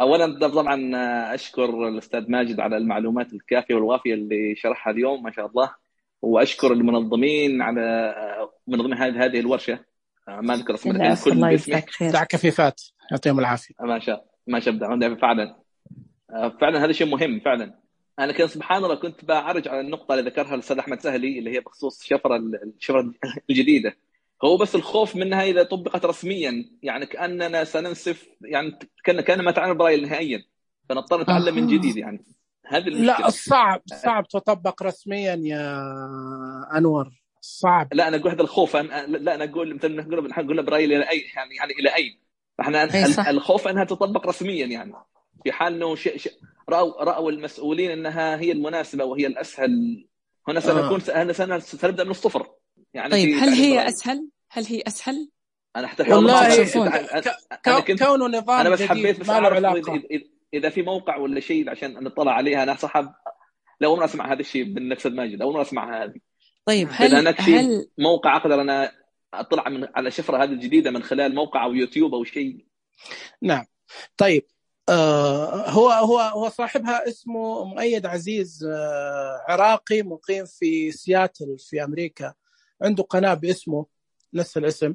أولا طبعا أشكر الأستاذ ماجد على المعلومات الكافية والوافية اللي شرحها اليوم ما شاء الله، وأشكر المنظمين على منظمين هذه الورشة. ما أذكر اسمه كل باسمه. دع كفيفات يعطيهم العافية. ما شاء فعلا هذا شيء مهم فعلا. أنا كان سبحان الله كنت بعرج على النقطة اللي ذكرها الأستاذ أحمد سهلي اللي هي بخصوص الشفرة الجديدة. هو بس الخوف منها إذا طبقت رسميا، يعني كأننا سننسف، يعني كأن ما تعلم برايل نهائيا، فنضطر نتعلم من جديد. يعني هذه المشكلة. لا صعب تطبق رسميا يا أنور، صعب. لا أنا أقول هذا الخوف. أنا أقول مثلا نقول برايل إلى أي يعني إلى أين؟ فإحنا الخوف أنها تطبق رسميا، يعني في حال إنه رأوا المسؤولين أنها هي المناسبة وهي الأسهل، هنا سنبدأ من الصفر. يعني طيب هل هي أسهل؟ أنا حتى والله كونه نظام أنا بس حبيت بس أعرف إذا في موقع ولا شيء عشان نطلع عليها. أنا صاحب لو ما أسمع هذا الشيء من نكسد ماجد، أو ما أسمع هذه. طيب هل موقع أقدر أنا أطلع على شفرة هذه الجديدة من خلال موقع أو يوتيوب أو شيء؟ نعم. طيب هو صاحبها اسمه مؤيد عزيز، عراقي مقيم في سياتل في أمريكا. عنده قناة باسمه نفس الاسم،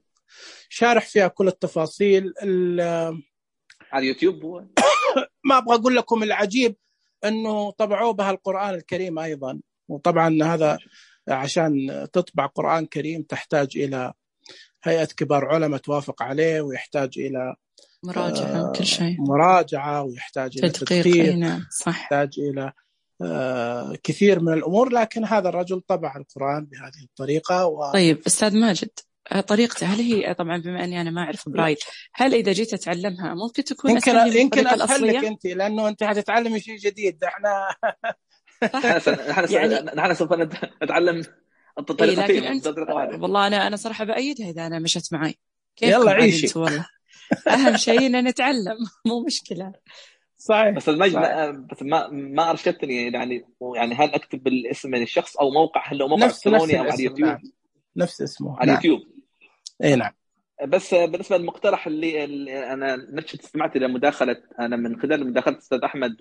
شارح فيها كل التفاصيل على اليوتيوب. ما أبغى أقول لكم العجيب أنه طبعوه بها القرآن الكريم أيضا. وطبعا هذا عشان تطبع قرآن كريم تحتاج إلى هيئة كبار علماء توافق عليه، ويحتاج إلى مراجعة كل شيء، مراجعة، ويحتاج إلى تدقيق، يحتاج إلى كثير من الأمور. لكن هذا الرجل طبع القرآن بهذه الطريقة. طيب أستاذ ماجد، طريقته هل هي طبعا بما أني أنا ما أعرف برايل، هل إذا جيت أتعلمها ممكن تكون يمكن أسهل لك أنت، لأنه أنت هتتعلمي شيء جديد. إحنا نحن سوف نتعلم الطريقة. لكن أنت والله أنا صراحة بأيدها إذا أنا مشت معي. يلا عيشي. والله أهم شيء إن نتعلم، مو مشكلة. صحيح. بس بس ما أرشدتني يعني هل أكتب بالاسم من الشخص أو موقع، هل هو موقع إلكتروني أو على اليوتيوب؟ نعم. نفس اسمه على اليوتيوب. إيه نعم. بس بالنسبة للمقترح اللي أنا نفسي استمعت إلى مداخلة، أنا من خلال مداخلة الأستاذ أحمد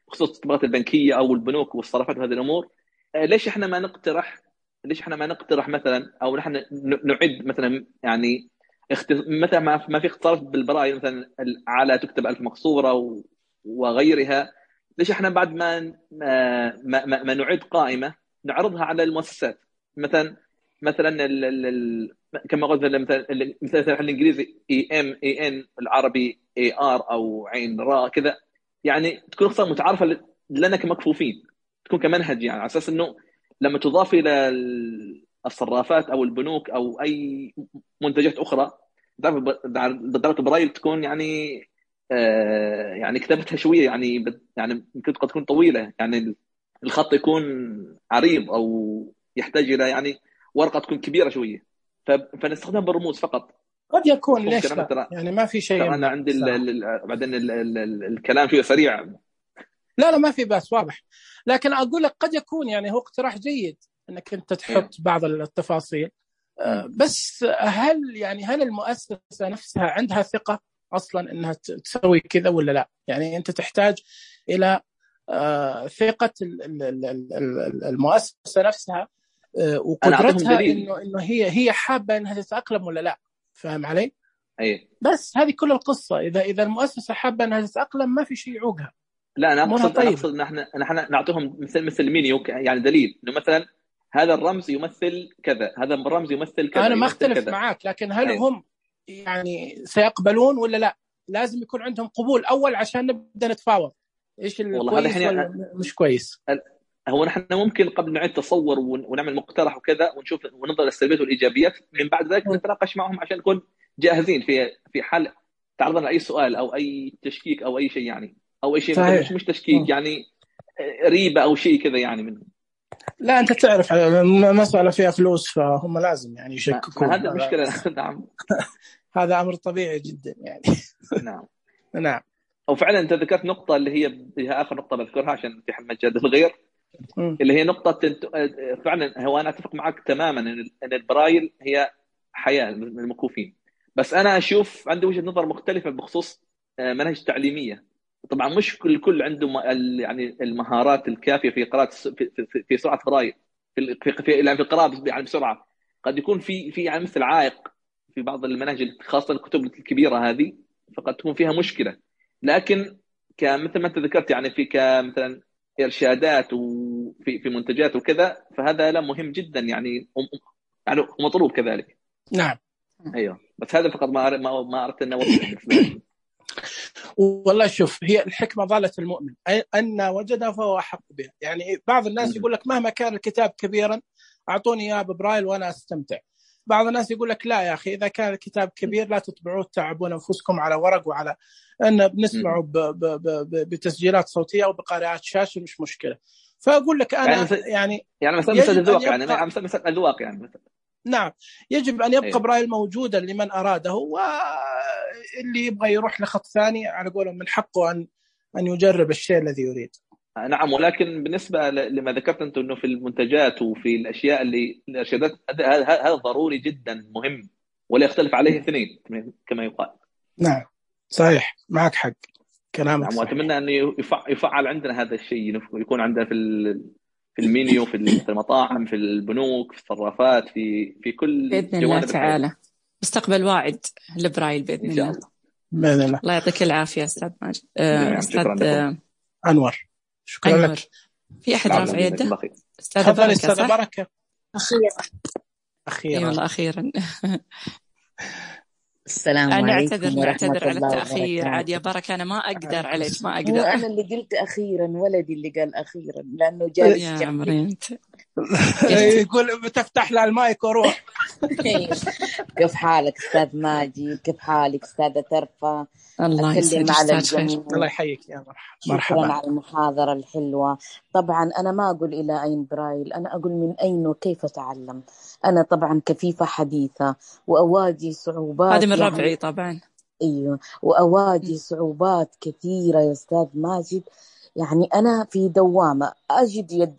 بخصوص التطبيقات البنكية أو البنوك والصرافات وهذه الأمور، ليش إحنا ما نقترح مثلا، أو نحن نعد مثلا، يعني مثلا ما في اختصارات بالبرايل مثلا على تكتب ألف مقصورة وغيرها. ليش احنا بعد ما نعد قائمة نعرضها على المؤسسات، مثلا كما قلت مثلا الانجليزي EN العربي AR او عين راء كذا، يعني تكون اختصار متعارفة لنا كمكفوفين، تكون كمنهج، يعني على اساس انه لما تضاف إلى الصرافات أو البنوك أو أي منتجات أخرى، بالضبط برايل تكون يعني يعني كتابتها شوية، يعني ممكن قد تكون طويلة، يعني الخط يكون عريض أو يحتاج إلى يعني ورقة تكون كبيرة شوية، فنستخدمها بالرموز فقط. قد يكون، مفهوم ليش كلامك؟ لا؟ يعني ما في شيء ترى أنا يمنع عندي صراحة. بعدين الكلام فيه سريع. لا ما في بأس، واضح. لكن أقول لك قد يكون يعني هو اقتراح جيد أنك أنت تحط بعض التفاصيل، بس هل المؤسسة نفسها عندها ثقة أصلا أنها تسوي كذا ولا لا؟ يعني أنت تحتاج إلى ثقة المؤسسة نفسها وقدرتها إنه هي حابة أنها تتأقلم ولا لا. فاهم علي؟ أيه. بس هذه كل القصة. إذا المؤسسة حابة أنها تتأقلم ما في شيء يعوقها. لا أنا أقصد إن إحنا نعطيهم مثل مينيو، يعني دليل إنه مثلا هذا الرمز يمثل كذا، هذا الرمز يمثل كذا. أنا ما أختلف معاك، لكن هل هم يعني سيقبلون ولا لا؟ لازم يكون عندهم قبول أول عشان نبدأ نتفاوض إيش الكويس ولا مش كويس. هو نحن ممكن قبل نعيد تصور ونعمل مقترح وكذا ونشوف وننظر السلبيات والإيجابيات، من بعد ذلك نتناقش معهم عشان نكون جاهزين في حال تعرضنا أي سؤال أو أي تشكيك أو أي شيء، يعني أو أي شيء مثلا مش تشكيك، يعني ريبة أو شيء كذا يعني منه. لا أنت تعرف مسألة فيها فلوس فهم لازم يعني يشككون. هذا المشكلة. نعم. هذا أمر طبيعي جدا يعني. نعم. نعم. أو فعلا أنت ذكرت نقطة اللي هي آخر نقطة بذكرها عشان في حال مجال الغير، اللي هي نقطة فعلا. هو أنا أتفق معك تماما أن البرايل هي حياة للمكفوفين، بس أنا أشوف عندي وجهة نظر مختلفة بخصوص مناهج تعليمية. طبعا مش الكل عنده يعني المهارات الكافية في قراءة في سرعة برايل، في القراءة يعني بسرعة. قد يكون في يعني مثل عائق في بعض المناهج، خاصة الكتب الكبيرة هذه، فقد تكون فيها مشكلة. لكن مثل ما أنت ذكرت يعني في كمثلا إرشادات وفي منتجات وكذا، فهذا لا مهم جدا يعني ومطلوب كذلك. نعم. أيوه، بس هذا فقط ما أردت أن أوضح. والله شوف، هي الحكمة ضالة المؤمن، أن وجدها فهو أحق بها. يعني بعض الناس يقول لك مهما كان الكتاب كبيرا أعطوني إياه ببرايل وأنا أستمتع. بعض الناس يقول لك لا يا أخي، إذا كان الكتاب كبير لا تطبعوه، تعبون أنفسكم على ورق وعلى أن بنسمعه بتسجيلات صوتية وبقارئات شاشة، مش مشكلة. فأقول لك أنا يعني مثلا الذوق، يعني مثلا الذوق يعني مثلا. نعم، يجب أن يبقى برايل موجودا لمن أراده، واللي يبغى يروح لخط ثاني على قولهم من حقه أن يجرب الشيء الذي يريد. نعم، ولكن بالنسبة لما ذكرت أنت أنه في المنتجات وفي الأشياء اللي الإرشادات، هذا ضروري جدا مهم، ولا يختلف عليه اثنين كما يقال. نعم صحيح، معك حق كلامك. نعم، وأتمنى أن يفعل عندنا هذا الشيء، يكون عندنا في المينيو، في المطاعم، في البنوك، في الصرافات، في كل بإذن الله تعالى. مستقبل واعد لبرايل بإذن الله. بإذن الله. الله يعطيك العافية أستاذ ماجد. أستاذ أنور، شكرا لك. في أحد رافع يده؟ أستاذ بركة. أخيرا والله أخيرا. السلام عليكم. نعتذر على التأخير. عاد يا بركة أنا ما أقدر عليك، ما أقدر. أنا اللي قلت أخيرا، ولدي اللي قال أخيرا لأنه جالس يا عمري أنت. يقول بتفتح له المايك وروح. كيف حالك أستاذ ماجد؟ كيف حالك أستاذة ترفة؟ الله يسعدك. الله يحييك يا مرحبا. شكرا على المحاضرة الحلوة. طبعا أنا ما أقول إلى أين برايل، أنا أقول من أين وكيف أتعلم. أنا طبعا كفيفة حديثة وأواجه صعوبات. هذه من ربعي طبعا. أيوة، وأواجه صعوبات كثيرة يا أستاذ ماجد. يعني أنا في دوامة أجد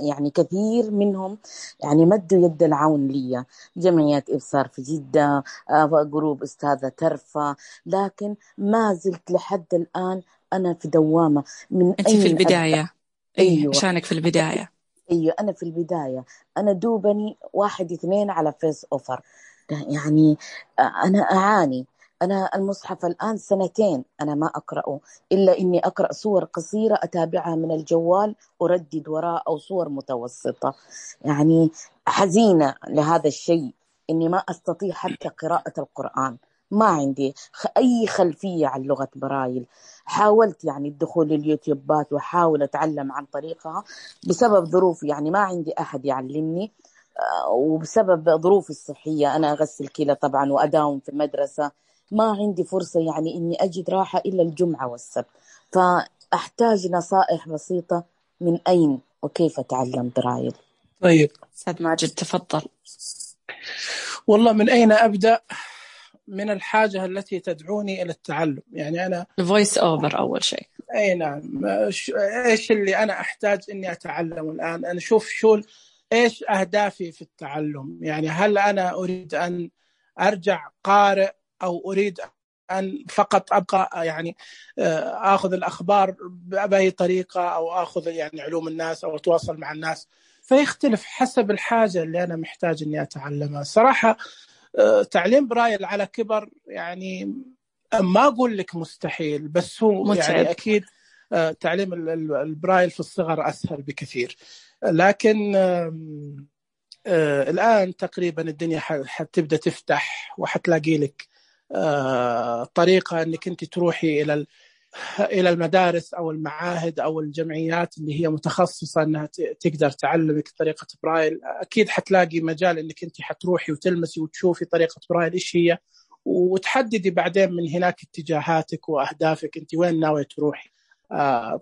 يعني كثير منهم يعني مدوا يد العون لي، جمعية إبصار في جدة، جروب أستاذة ترفة، لكن ما زلت لحد الآن أنا في دوامة. أنت في البداية. أيوة، عشانك في البداية. أيوة أنا في البداية، أنا دوبني 1-2 على فيس أوفر. يعني أنا أعاني. أنا المصحف الآن 2 أنا ما أقرأه، إلا إني أقرأ صور قصيرة أتابعها من الجوال أردد وراء، أو صور متوسطة. يعني حزينة لهذا الشيء، إني ما أستطيع حتى قراءة القرآن. ما عندي أي خلفية عن لغة برايل. حاولت يعني الدخول اليوتيوبات وحاول أتعلم عن طريقها بسبب ظروف، يعني ما عندي أحد يعلمني، وبسبب ظروفي الصحية أنا أغسل كلى طبعا وأداوم في المدرسة، ما عندي فرصة يعني إني أجد راحة إلا الجمعة والسبت. فأحتاج نصائح بسيطة من أين وكيف أتعلم برايل. طيب أستاذ ماجد تفضل. والله من أين أبدأ؟ من الحاجة التي تدعوني إلى التعلم. يعني أنا الفويس أوفر أول شيء. أي نعم. إيش اللي أنا أحتاج إني أتعلم الآن؟ أنا شوف إيش أهدافي في التعلم. يعني هل أنا أريد أن أرجع قارئ، أو أريد أن فقط أبقى يعني أخذ الأخبار بأي طريقة، أو أخذ يعني علوم الناس أو أتواصل مع الناس؟ فيختلف حسب الحاجة اللي أنا محتاج إني أتعلمها. صراحة تعليم برايل على كبر يعني ما أقول لك مستحيل، بس هو متعب. يعني أكيد تعليم البرايل في الصغر أسهل بكثير. لكن الآن تقريبا الدنيا حتبدأ تفتح، وحتلاقي لك طريقة أنك أنت تروحي إلى المدارس أو المعاهد أو الجمعيات اللي هي متخصصة أنها تقدر تعلمك طريقة برايل. أكيد حتلاقي مجال أنك أنت حتروحي وتلمسي وتشوفي طريقة برايل إيش هي، وتحددي بعدين من هناك اتجاهاتك وأهدافك، أنت وين ناوية تروحي.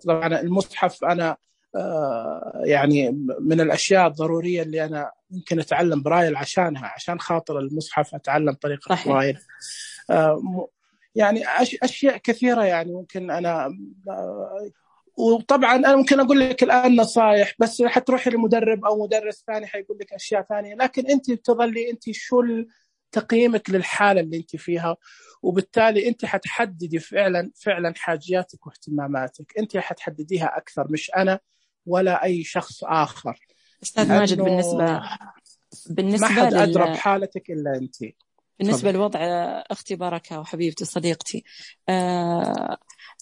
طبعا المصحف أنا يعني من الأشياء الضرورية اللي أنا ممكن أتعلم برايل عشانها، عشان خاطر المصحف أتعلم طريقة صحيح. برايل. يعني أشياء كثيرة يعني ممكن أنا وطبعا أنا ممكن أقول لك الآن نصايح، بس حتروحي لمدرب أو مدرس ثاني حيقول لك أشياء ثانية، لكن أنت تظلي أنت شو تقييمك للحالة اللي أنت فيها، وبالتالي أنت حتحددي فعلا حاجياتك واهتماماتك، أنت حتحدديها أكثر، مش أنا ولا أي شخص آخر. أستاذ ماجد بالنسبة ما حد أدرى بحالتك إلا أنت. بالنسبة لوضع أختي بركة وحبيبتي صديقتي،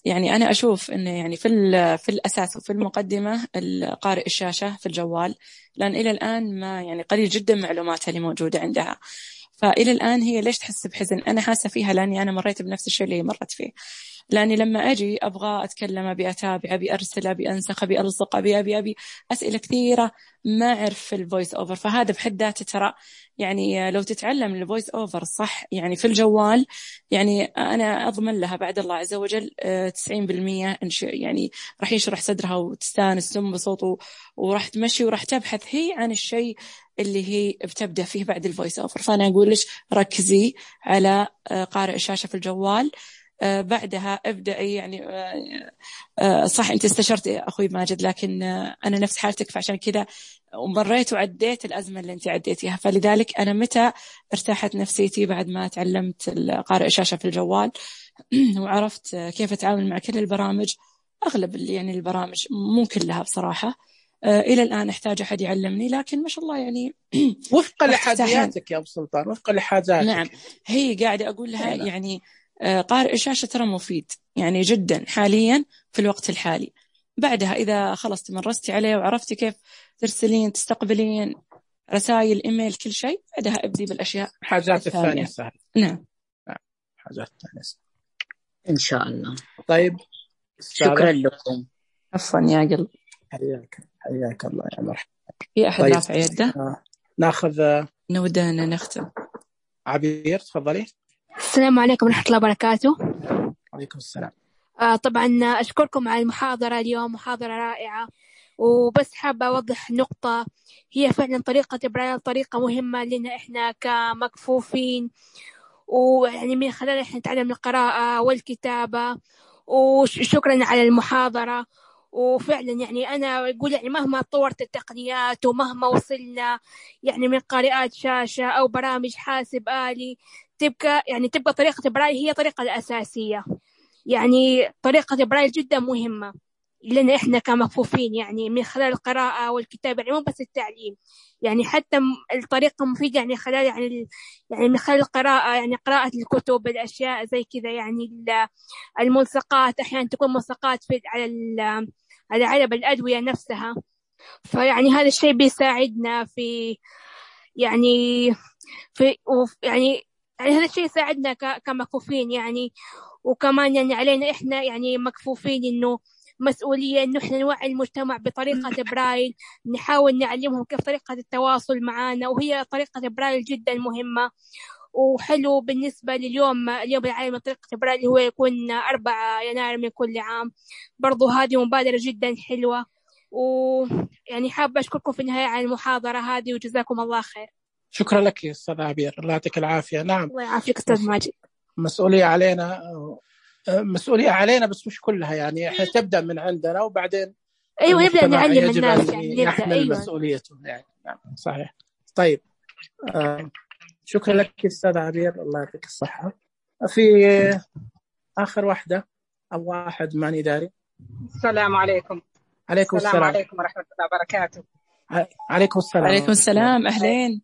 يعني أنا أشوف إنه يعني في الأساس وفي المقدمة قارئ الشاشة في الجوال، لأن إلى الآن ما يعني قليل جدا معلوماتها اللي موجودة عندها. فإلى الآن هي ليش تحس بحزن؟ أنا حاسة فيها لأني أنا مريت بنفس الشيء اللي مرت فيه. لأني لما أجي أبغى أتكلم، أبي أتابع، أبي أرسل، أبي أنسخ، أبي ألصق، أبي أسئلة كثيرة ما أعرف في الفويس أوفر. فهذا بحد ذاته ترى يعني لو تتعلم الفويس أوفر صح يعني في الجوال، يعني أنا أضمن لها بعد الله عز وجل 90% يعني راح يشرح صدرها وتستانس بصوته، وراح تمشي وراح تبحث هي عن الشيء اللي هي بتبدأ فيه بعد الفويس أوفر. فأنا أقول لك ركزي على قارئ الشاشة في الجوال، بعدها ابدأي يعني صح أنت استشرت أخوي ماجد، لكن أنا نفس حالتك، فعشان كذا ومريت وعديت الأزمة اللي أنت عديتيها. فلذلك أنا متى ارتاحت نفسيتي بعد ما تعلمت قارئ الشاشة في الجوال وعرفت كيف أتعامل مع كل البرامج، أغلب يعني البرامج مو كلها بصراحة. إلى الآن أحتاج أحد يعلمني، لكن ما شاء الله يعني وفقا لحاجاتك يا أبو سلطان، وفقا لحاجاتك. نعم، هي قاعدة أقول لها يعني قارئ الشاشة ترى مفيد يعني جدا حاليا في الوقت الحالي. بعدها إذا خلص تمرستي عليه وعرفتي كيف ترسلين تستقبلين رسائل إيميل كل شيء، بعدها أبدي بالأشياء حاجات الثانية سهل. نعم حاجات الثانية سهل إن شاء الله. طيب شكرا لكم. عفوا يا قلب. حياك الله يا مرحبا. في أحد رافع يده؟ ناخذ نودنا نختم. عبير تفضلي. السلام عليكم ورحمة الله وبركاته. عليكم السلام. طبعا أشكركم على المحاضرة اليوم، محاضرة رائعة، وبس حابة أوضح نقطة. هي فعلا طريقة برايل طريقة مهمة لنا إحنا كمكفوفين، ويعني من خلال إحنا نتعلم القراءة والكتابة. وشكرا على المحاضرة. وفعلا يعني أنا أقول يعني مهما طورت التقنيات ومهما وصلنا يعني من قارئات شاشة أو برامج حاسب آلي، تبقى طريقة برايل هي طريقة الأساسية. يعني طريقة برايل جدا مهمة لنا إحنا كمكفوفين، يعني من خلال القراءة والكتابة، يعني مو بس التعليم، يعني حتى الطريقة مفيدة يعني خلال يعني من خلال القراءة، يعني قراءة الكتب، الأشياء زي كذا، يعني الملصقات أحيانا تكون ملصقات على علب الأدوية نفسها. فيعني هذا الشيء بيساعدنا في يعني يعني هذا الشيء يساعدنا كمكفوفين يعني. وكمان يعني علينا إحنا يعني مكفوفين إنه مسؤولية إنه إحنا نوعي المجتمع بطريقة برايل، نحاول نعلمهم كيف طريقة التواصل معنا، وهي طريقة برايل جدا مهمة وحلو بالنسبة لليوم، اليوم العالمي لطريقة برايل هو يكون 4 يناير من كل عام. برضو هذه مبادرة جدا حلوة، ويعني حابة أشكركم في النهاية على المحاضرة هذه وجزاكم الله خير. شكرا لك يا أستاذ عبير، الله يعطيك العافية. نعم الله يعافيك أستاذ ماجد. مسؤولية علينا بس مش كلها يعني، احنا تبدأ من عندنا وبعدين أيوة نبدأ نعلم الناس يعني يحمل أيوة. مسؤوليته يعني. نعم صحيح. طيب شكرا لك أستاذ عبير، الله يعطيك الصحة. في آخر واحدة أو واحد ماني داري. السلام عليكم. عليكم السلام. عليكم ورحمة الله وبركاته. عليكم السلام. عليكم السلام. أهلين.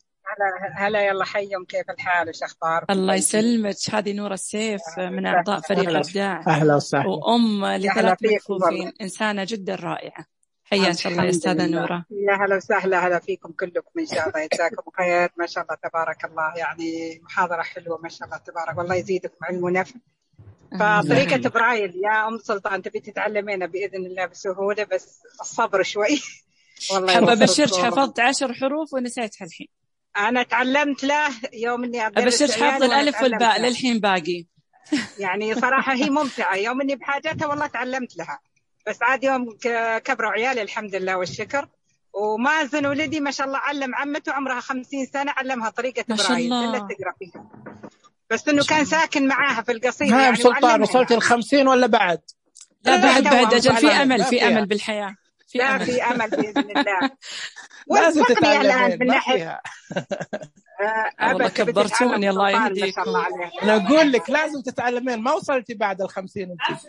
هلا يلا حيهم، كيف الحال وش أخباركم؟ الله يسلمك. هذه نورة السيف من أعضاء فريق إبداع. أهلا وسهلا. وأم ل3 مكفوفين، إنسانة جدا رائعة. حياك الله يا أستاذة نورة. يا هلا وسهلا، هلا فيكم كلكم إن شاء الله، يجزاكم خير ما شاء الله تبارك الله. يعني محاضرة حلوة ما شاء الله تبارك، والله يزيدكم علم ونفع. فطريقة برايل يا أم سلطان تبي تتعلمينها بإذن الله بسهولة، بس الصبر شوي. والله حابة أبشرك حفظت 10 حروف ونسيتها الحين. أنا تعلمت له يوم إني أبشرك حافظ الألف والباء للحين باقي. يعني صراحة هي ممتعة، يوم إني بحاجتها والله تعلمت لها، بس عاد يوم كبروا عيالي الحمد لله والشكر. ومازن ولدي ما شاء الله علم عمته عمرها 50 سنة، علمها طريقة برايل إلا تقرأ فيها، بس إنه كان ساكن معاها في القصير. يعني سلطان وصلت 50 ولا بعد؟ لا بعد أجل، في أمل بالحياة. في أمل بإذن الله. لازم تتعلمين ما فيها. والله كبرتوني الله يهديك. أنا أقول لك لازم تتعلمين، ما وصلتي بعد 50 أنت.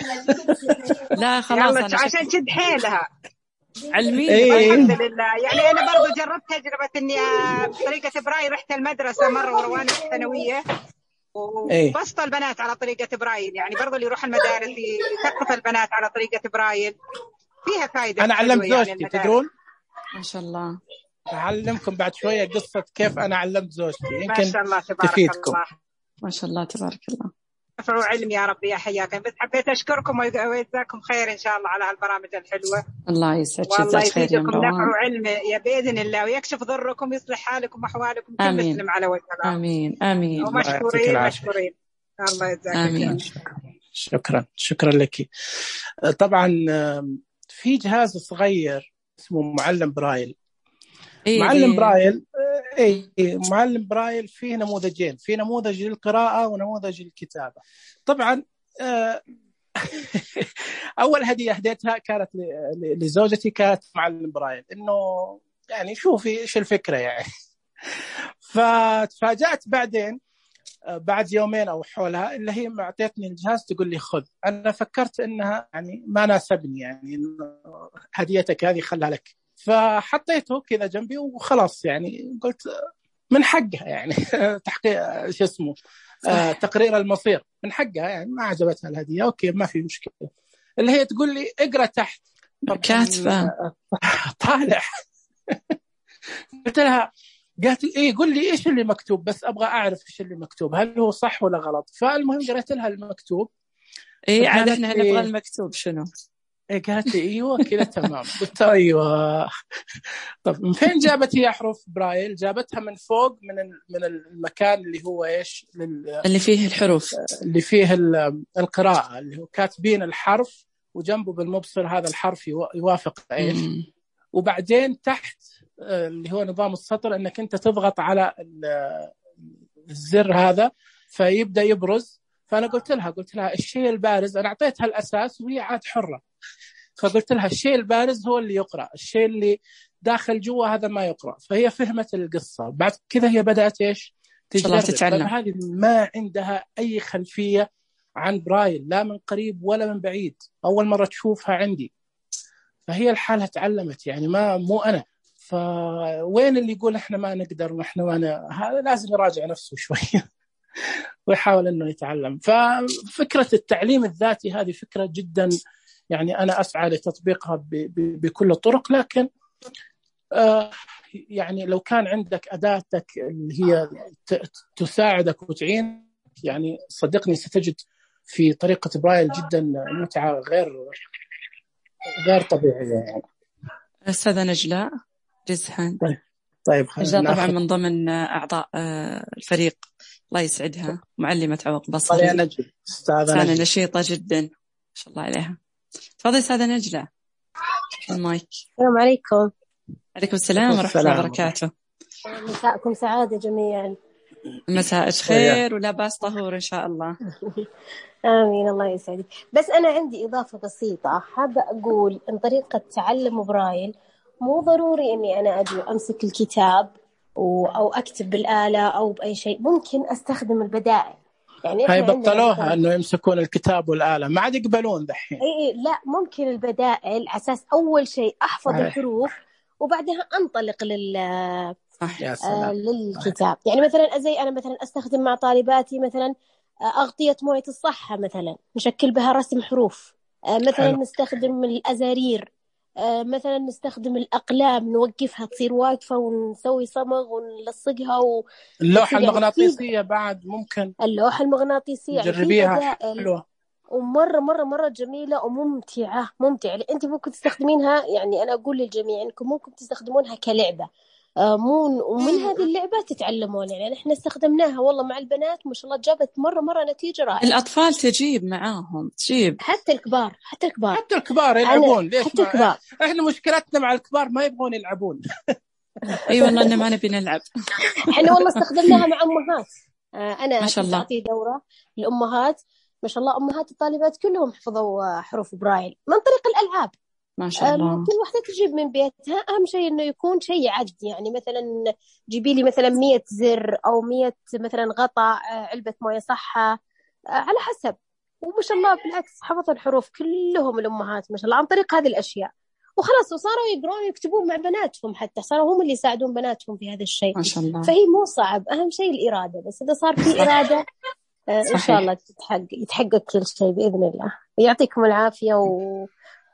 لا خلاص أنا عشان شد حيلها علمي. الحمد لله. يعني أنا برضو جربت تجربة إني بطريقة برايل، رحت المدرسة مرة وأنا في الثانوية وبسط البنات على طريقة برايل، يعني برضو اللي يروح المدارس يثقف البنات على طريقة برايل، فيها فائدة. أنا علمت زوجتي يعني تدرون ما شاء الله. أعلمكم بعد شوية قصة كيف أنا علمت زوجتي، يمكن ما شاء الله تبارك تفيدكم. الله. ما شاء الله تبارك الله. ارفعوا علم يا رب يا حياكم. بس حبيت أشكركم ويجزاكم خير إن شاء الله على هالبرامج الحلوة. الله يسعدك. والله يزيدكم نفع وعلم يا بإذن الله، ويكشف ضركم ويصلح حالكم وأحوالكم كل مسلم على وجه الله. آمين آمين. ومشكورين مشكورين. الله يجزاك آمين. شكرا لك. طبعا في جهاز صغير اسمه معلم برايل. معلم برايل معلم برايل فيه نموذجين، في نموذج للقراءة ونموذج للكتابة. طبعا أول هدية هديتها كانت لزوجتي، كانت معلم برايل، إنه يعني شوفي إيش الفكرة يعني. فتفاجأت بعدين بعد يومين أو حولها اللي هي معطيتني الجهاز تقول لي خذ. أنا فكرت إنها يعني ما ناسبني، يعني هديتك هذه خلها لك، فحطيته كذا جنبي وخلاص. يعني قلت من حقها يعني تحقيق شو اسمه تقرير المصير من حقها، يعني ما عجبتها الهدية أوكي ما في مشكلة. اللي هي تقول لي اقرأ تحت كاتبة طالع. قلت لها، قالت لي قول لي إيش اللي مكتوب، بس أبغى أعرف إيش اللي مكتوب هل هو صح ولا غلط. فالمهم قرأت لها المكتوب. عاد احنا نبغى المكتوب شنو. قالت لي ايوه كذا تمام. قلت ايوه. طب من فين جابت هي حروف برايل؟ جابتها من فوق من المكان اللي هو ايش اللي فيه الحروف، اللي فيه القراءة، اللي هو كاتبين الحرف وجنبه بالمبصر هذا الحرف يوافق ايش. وبعدين تحت اللي هو نظام السطر انك انت تضغط على الزر هذا فيبدأ يبرز. فأنا قلت لها الشيء البارز، أنا أعطيتها الأساس وهي عاد حرة، فقلت لها الشيء البارز هو اللي يقرأ، الشيء اللي داخل جوا هذا ما يقرأ. فهي فهمت القصة. بعد كذا هي بدأت إيش تجرب. هذه ما عندها أي خلفية عن برايل لا من قريب ولا من بعيد، أول مرة تشوفها عندي. فهي الحالة تعلمت يعني مو أنا. فوين اللي يقول إحنا ما نقدر وإحنا هذا لازم يراجع نفسه شوية ويحاول أنه يتعلم. ففكرة التعليم الذاتي هذه فكرة جدا يعني أنا أسعى لتطبيقها بكل الطرق، لكن يعني لو كان عندك أداتك اللي هي تساعدك وتعين، يعني صدقني ستجد في طريقة برايل جدا متعة غير طبيعية يعني. أستاذة نجلاء جزحان. طيب نجلاء طبعا من ضمن أعضاء الفريق، الله يسعدها، معلمة عوق بصري، أستاذة نشيطة جدا ما شاء الله عليها. تفضلي أستاذة نجلاء المايك. السلام عليكم. عليكم السلام ورحمة الله وبركاته. مساءكم سعادة جميعا. مساء خير ولاباس طهور إن شاء الله. آمين الله يسعدك. بس أنا عندي إضافة بسيطة، حابة أقول إن طريقة تعلم برايل مو ضروري إني أنا أمسك الكتاب أو أكتب بالآلة أو بأي شيء، ممكن أستخدم البدائل. يعني هاي بطلوها إنه يمسكون الكتاب والآلة، ما عاد يقبلون دحين. إيه لا، ممكن البدائل أساس أول شيء أحفظ الحروف وبعدها أنطلق للكتاب. يعني مثلا زي أنا مثلا أستخدم مع طالباتي مثلا أغطية موية الصحة، مثلا نشكل بها رسم حروف، مثلا نستخدم الأزارير، مثلا نستخدم الأقلام نوقفها تصير واقفة ونسوي صمغ ونلصقها اللوحة المغناطيسية بعد ممكن. اللوحة المغناطيسية جربيها، حلوة ومرة جميلة وممتعة. أنت ممكن تستخدمينها، يعني أنا أقول للجميع أنكم ممكن تستخدمونها كلعبة، ومن هذه اللعبة تتعلمون. يعني احنا استخدمناها والله مع البنات ما شاء الله جابت مرة نتيجة رائعة. الأطفال تجيب معاهم، تجيب حتى الكبار يلعبون. ليش حتى الكبار؟ احنا مشكلتنا مع الكبار ما يبغون يلعبون. اي والله إننا ما نبي نلعب. احنا والله استخدمناها مع أمهات. أنا ما شاء الله أعطي دورة للأمهات، ما شاء الله أمهات الطالبات كلهم حفظوا حروف برايل من طريق الألعاب. ما شاء الله. كل واحدة تجيب من بيتها، أهم شيء إنه يكون شيء عد. يعني مثلا جيبي لي مثلا 100 زر أو 100 مثلا غطاء علبة موية صحة على حسب. وما شاء الله بالعكس حفظوا الحروف كلهم الأمهات ما شاء الله عن طريق هذه الأشياء، وخلاص وصاروا يقرون ويكتبون مع بناتهم، حتى صاروا هم اللي يساعدون بناتهم في هذا الشيء. ما شاء الله. فهي مو صعب، أهم شيء الإرادة. بس إذا صار في إرادة إن شاء الله يتحقق كل شيء بإذن الله. يعطيكم العافية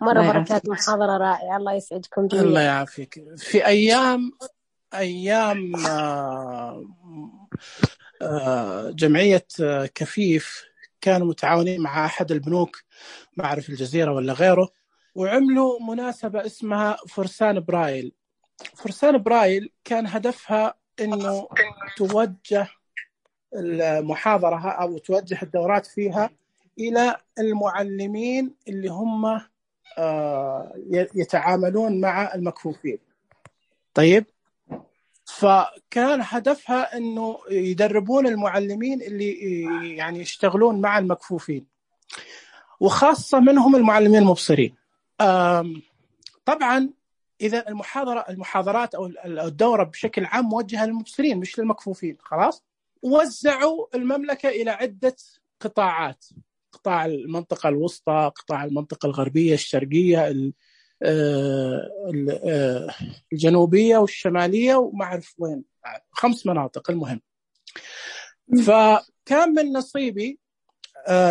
مرة كانت محاضرة رائعة. الله يسعدكم جميعا. الله يعافيك. في أيام جمعية كفيف كانوا متعاونين مع أحد البنوك، ما أعرف الجزيرة ولا غيره، وعملوا مناسبة اسمها فرسان برايل. فرسان برايل كان هدفها إنه توجه المحاضرة أو توجه الدورات فيها إلى المعلمين اللي هم يتعاملون مع المكفوفين. طيب، فكان هدفها أنه يدربون المعلمين اللي يعني يشتغلون مع المكفوفين، وخاصة منهم المعلمين المبصرين. طبعا إذا المحاضرات أو الدورة بشكل عام موجهة للمبصرين مش للمكفوفين، خلاص وزعوا المملكة إلى عدة قطاعات: قطاع المنطقة الوسطى، قطاع المنطقة الغربية، الشرقية، الجنوبية والشمالية، وما أعرف وين، 5 مناطق المهم. فكان من نصيبي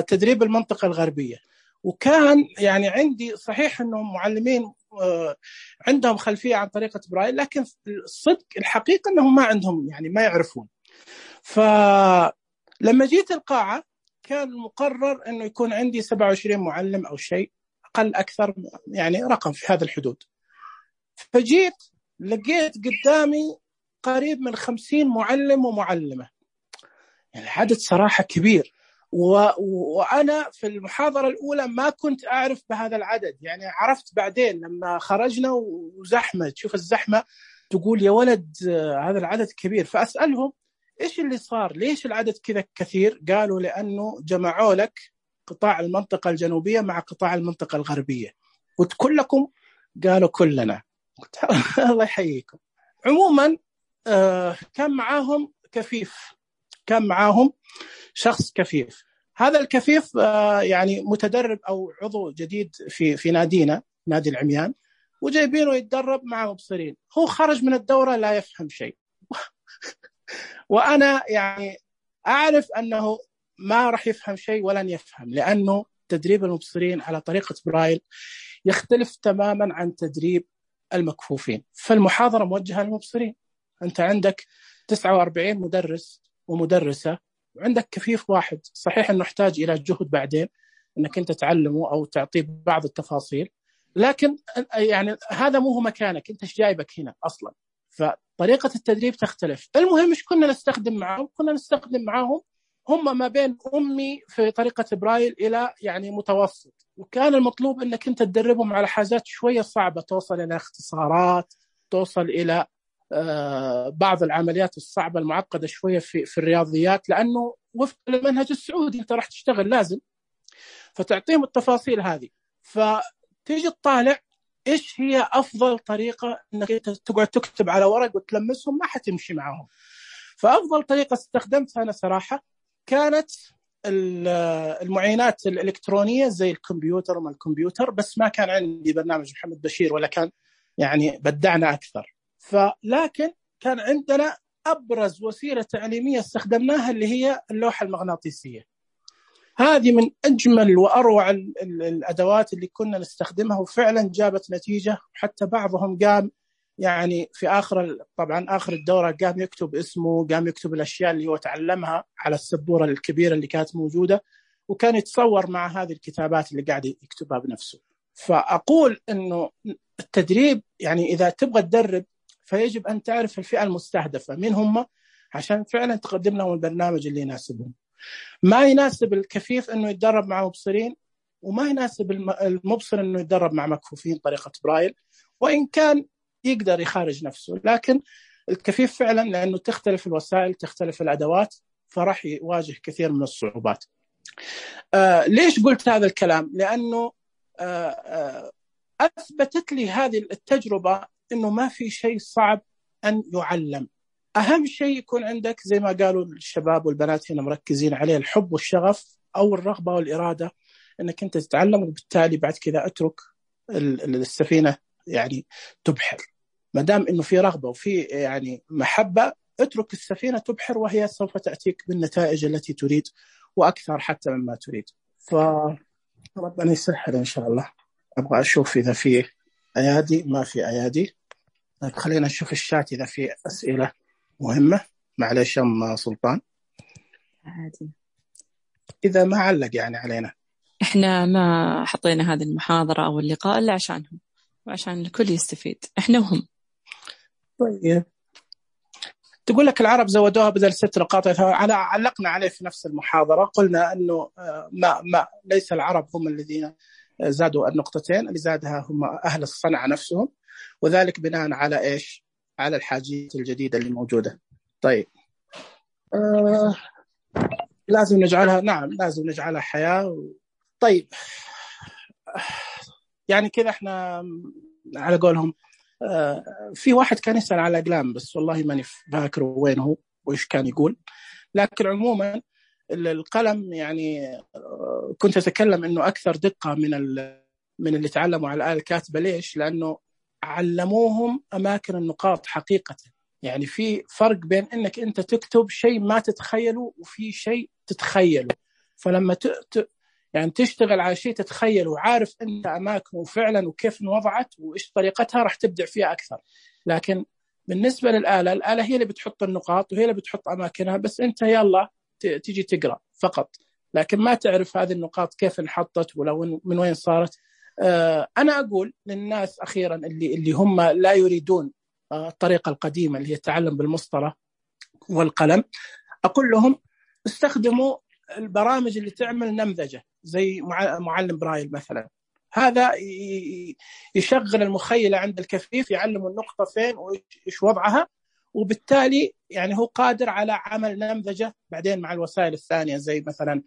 تدريب المنطقة الغربية، وكان يعني عندي صحيح أنهم معلمين عندهم خلفية عن طريقة برايل، لكن الصدق الحقيقة أنهم ما عندهم، يعني ما يعرفون. فلما جيت القاعة كان مقرر أنه يكون عندي 27 معلم أو شيء، أقل أكثر، يعني رقم في هذا الحدود. فجيت لقيت قدامي قريب من 50 معلم ومعلمة، يعني العدد صراحة كبير. وأنا في المحاضرة الأولى ما كنت أعرف بهذا العدد، يعني عرفت بعدين لما خرجنا وزحمة، تشوف الزحمة تقول يا ولد هذا العدد كبير. فأسألهم إيش اللي صار، ليش العدد كذا كثير؟ قالوا لأنه جمعوا لك قطاع المنطقة الجنوبية مع قطاع المنطقة الغربية. قلت كلكم؟ قالوا كلنا. الله يحييكم. عموما كان معاهم كفيف، كان معاهم شخص كفيف. هذا الكفيف يعني متدرب أو عضو جديد في نادينا، نادي العميان، وجايبينه يتدرب مع مبصرين. هو خرج من الدورة لا يفهم شيء. وأنا يعني أعرف أنه ما راح يفهم شيء ولن يفهم، لأنه تدريب المبصرين على طريقة برايل يختلف تماما عن تدريب المكفوفين. فالمحاضرة موجهة للمبصرين. أنت عندك 49 مدرس ومدرسة وعندك كفيف واحد، صحيح أنه يحتاج إلى جهد بعدين أنك أنت تعلمه أو تعطيه بعض التفاصيل، لكن يعني هذا مو هو مكانك، أنت إيش جايبك هنا أصلا. فطريقة التدريب تختلف. المهم إيش كنا نستخدم معهم؟ كنا نستخدم معهم هم ما بين أمي في طريقة برايل إلى يعني متوسط، وكان المطلوب أنك أنت تدربهم على حاجات شوية صعبة، توصل إلى اختصارات، توصل إلى بعض العمليات الصعبة المعقدة شوية في الرياضيات، لأنه وفق المنهج السعودي أنت راح تشتغل لازم، فتعطيهم التفاصيل هذه. فتيجي تطالع إيش هي أفضل طريقة أنك أنت تقعد تكتب على ورق وتلمسهم، ما حتمشي معهم. فأفضل طريقة استخدمتها أنا صراحة كانت المعينات الإلكترونية زي الكمبيوتر وما الكمبيوتر، بس ما كان عندي برنامج محمد بشير ولا كان يعني بدعنا أكثر. لكن كان عندنا أبرز وسيلة تعليمية استخدمناها اللي هي اللوحة المغناطيسية. هذه من أجمل وأروع الأدوات اللي كنا نستخدمها، وفعلا جابت نتيجة. حتى بعضهم قام يعني في طبعا آخر الدورة قام يكتب اسمه، قام يكتب الأشياء اللي هو تعلمها على السبورة الكبيرة اللي كانت موجودة، وكان يتصور مع هذه الكتابات اللي قاعد يكتبها بنفسه. فأقول إنه التدريب يعني إذا تبغى تدرب فيجب أن تعرف الفئة المستهدفة مين هم، عشان فعلا تقدم لهم البرنامج اللي يناسبهم. ما يناسب الكفيف إنه يتدرب مع مبصرين، وما يناسب المبصر إنه يتدرب مع مكفوفين طريقة برايل، وإن كان يقدر يخارج نفسه. لكن الكفيف فعلا لأنه تختلف الوسائل، تختلف الأدوات، فراح يواجه كثير من الصعوبات. ليش قلت هذا الكلام؟ لأنه أثبتت لي هذه التجربة إنه ما في شيء صعب أن يعلم. أهم شيء يكون عندك زي ما قالوا الشباب والبنات هنا مركزين عليه، الحب والشغف أو الرغبة والإرادة إنك أنت تتعلم، وبالتالي بعد كذا أترك السفينة يعني تبحر. ما دام إنه في رغبة وفي يعني محبة، اترك السفينة تبحر، وهي سوف تأتيك بالنتائج التي تريد وأكثر حتى مما تريد. فربنا يسهل إن شاء الله. أبغى أشوف إذا في أيادي. ما في أيادي. خلينا نشوف الشات إذا في أسئلة مهمة. معلش أم سلطان عادي إذا ما علق يعني علينا. إحنا ما حطينا هذه المحاضرة أو اللقاء إلا عشانهم وعشان الكل يستفيد، إحنا وهم. طيب تقول لك العرب زودوها بدل 6 نقاط، علقنا عليه في نفس المحاضرة. قلنا أنه ليس العرب هم الذين زادوا النقطتين، اللي زادها هم أهل الصنعة نفسهم، وذلك بناء على إيش؟ على الحاجيات الجديدة اللي موجودة. طيب لازم نجعلها، نعم لازم نجعلها حياة. طيب يعني كذا احنا على قولهم في واحد كان يسأل على أقلام، بس والله ماني فاكر وين هو وإيش كان يقول. لكن عموما القلم يعني كنت أتكلم إنه أكثر دقة من اللي تعلموا على الآلة الكاتبة. ليش؟ لأنه علموهم أماكن النقاط حقيقة. يعني في فرق بين إنك أنت تكتب شيء ما تتخيله وفي شيء تتخيله. فلما يعني تشتغل على شيء تتخيله وعارف أنت أماكنه فعلا وكيف وضعت وإيش طريقتها، راح تبدع فيها أكثر. لكن بالنسبة للآلة، الآلة هي اللي بتحط النقاط وهي اللي بتحط أماكنها، بس أنت يلا تيجي تقرأ فقط، لكن ما تعرف هذه النقاط كيف انحطت ولا من وين صارت. أنا أقول للناس أخيرا اللي هم لا يريدون الطريقة القديمة اللي هي التعلم بالمسطرة والقلم، أقول لهم استخدموا البرامج اللي تعمل نمذجة زي معلم برايل مثلا. هذا يشغل المخيلة عند الكفيف، يعلم النقطة فين وإيش وضعها، وبالتالي يعني هو قادر على عمل نمذجة بعدين مع الوسائل الثانية، زي مثلا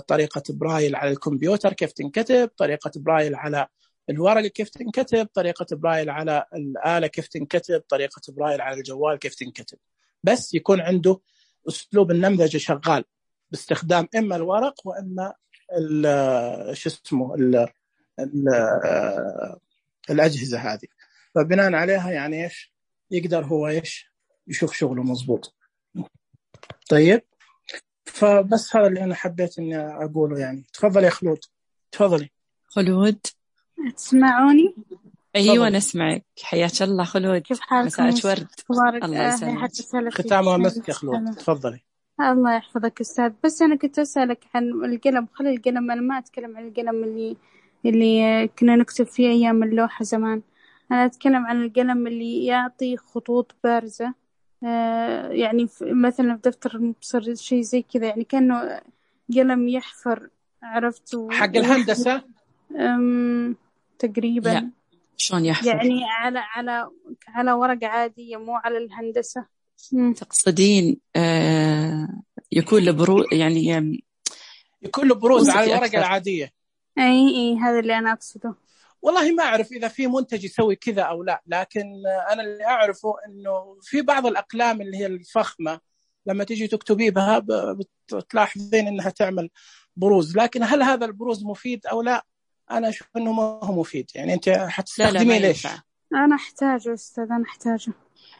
طريقة برايل على الكمبيوتر كيف تنكتب، طريقة برايل على الورق كيف تنكتب، طريقة برايل على الآلة كيف تنكتب، طريقة برايل على الجوال كيف تنكتب. بس يكون عنده أسلوب النمذجة شغال باستخدام إما الورق وإما الأجهزة هذه. فبناء عليها يعني إيش يقدر هو إيش يشوف شغله مظبوط. طيب فبس هذا اللي أنا حبيت إني أقوله يعني. تفضل يا خلود. تفضلي خلود. تسمعوني؟ أيوة نسمعك. حياك الله خلود. كيف حالكم؟ مساء ورد. تبارك الله يسلمك. ختامها مسك يا خلود، تفضلي. الله يحفظك أستاذ. بس أنا كنت أسألك عن القلم. خلي القلم، أنا ما أتكلم عن القلم اللي كنا نكتب فيه أيام اللوحة زمان. أنا أتكلم عن القلم اللي يعطي خطوط بارزة، يعني مثلا في دفتر المبصر شيء زي كذا، يعني كأنه قلم يحفر، عرفت؟ حق الهندسة تقريبا. لا. شلون يحفر؟ يعني على ورقة عادية، مو على الهندسة. تقصدين يكون له بروز، يعني يكون له بروز على الورقة العادية. اي هذا اللي انا اقصده. والله ما اعرف اذا في منتج يسوي كذا او لا، لكن انا اللي اعرفه انه في بعض الاقلام اللي هي الفخمة لما تيجي تكتبي بها بتلاحظين انها تعمل بروز، لكن هل هذا البروز مفيد او لا؟ انا اشوف انه ما هو مفيد. يعني انت حتستخدميه ليش؟ انا احتاجه استاذ، انا احتاجه.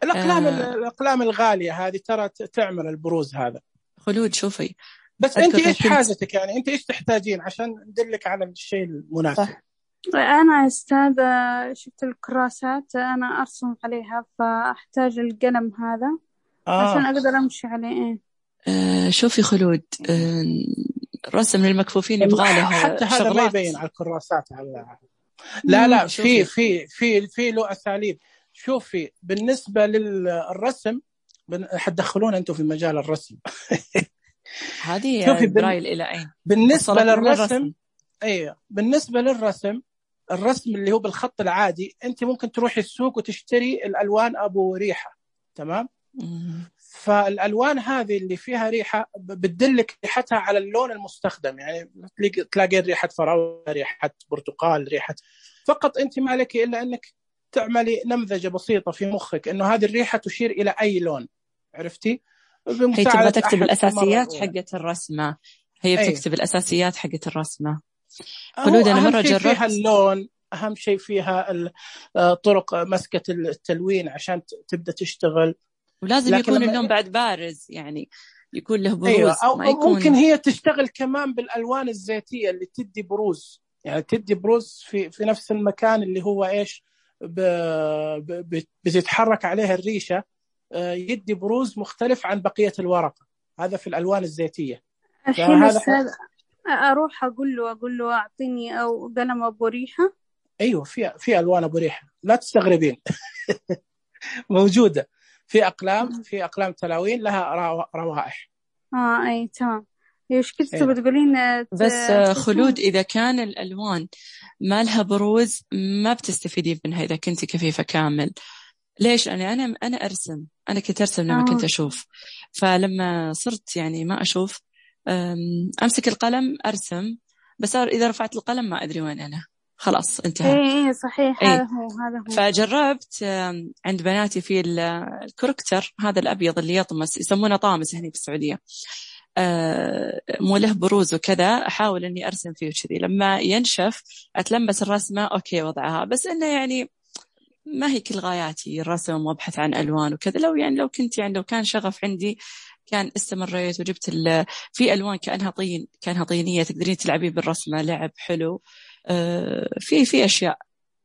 الاقلام الغالية هذه ترى تعمل البروز هذا. خلود شوفي، بس انت ايش حاجتك؟ يعني انت ايش تحتاجين عشان ندلك على الشيء المناسب؟ انا استاذ شفت الكراسات انا ارسم عليها، فاحتاج القلم هذا عشان اقدر امشي عليه. شوفي خلود، رسم للمكفوفين يبغى له حتى هذا ما يبين على الكراسات. لا في له اساليب. شوفي بالنسبه للرسم حتدخلون انتم في مجال الرسم. هذه برايل الى اين؟ بالنسبه للرسم ايوه، بالنسبه للرسم، الرسم اللي هو بالخط العادي، انت ممكن تروحي السوق وتشتري الالوان ابو ريحه، تمام؟ فالالوان هذه اللي فيها ريحه بتدلك ريحتها على اللون المستخدم. يعني تلاقي ريحه فراوله، ريحه برتقال، ريحه، فقط انت ما لك الا انك تعملي نمذجه بسيطه في مخك انه هذه الريحه تشير الى اي لون، عرفتي؟ هي تبغى تكتب الاساسيات حقه الرسمه. هي بتكتب الاساسيات حقه الرسمه. خلود انا مره جربت فيها اللون، اهم شيء فيها طرق مسكه التلوين عشان تبدا تشتغل، ولازم يكون اللون بعد بارز، يعني يكون له بروز. أيوة. أو ما يكون... ممكن هي تشتغل كمان بالالوان الزيتيه اللي تدي بروز، يعني تدي بروز في نفس المكان اللي هو ايش بتتحرك عليها الريشه، يدي بروز مختلف عن بقيه الورقه. هذا في الالوان الزيتيه. الحين اروح اقول له اعطيني او قلم ابو ريحه. ايوه في الوان ابو ريحه، لا تستغربين. موجوده في اقلام تلاوين لها روائح. اي تمام. ايش كنت بتقولين؟ بس خلود اذا كان الالوان ما لها بروز ما بتستفيدين منها اذا كنتي كفيفه كامل. ليش؟ انا ارسم، انا كنت ارسم لما كنت اشوف، فلما صرت يعني ما اشوف امسك القلم ارسم، بس اذا رفعت القلم ما ادري وين انا، خلاص انتهى. ايه صحيح. هذا هو. فجربت عند بناتي في الكوركتر هذا الابيض اللي يطمس، يسمونه طامس هنا في السعوديه، مو له بروز وكذا، احاول اني ارسم فيه كذي، لما ينشف اتلمس الرسمه اوكي وضعها، بس انه يعني ما هي كل غاياتي الرسم وابحث عن الوان وكذا. لو كنت يعني لو كان شغف عندي كان استمريت وجبت في الوان كانها طينيه تقدرين تلعبين بالرسمه، لعب حلو. في اشياء،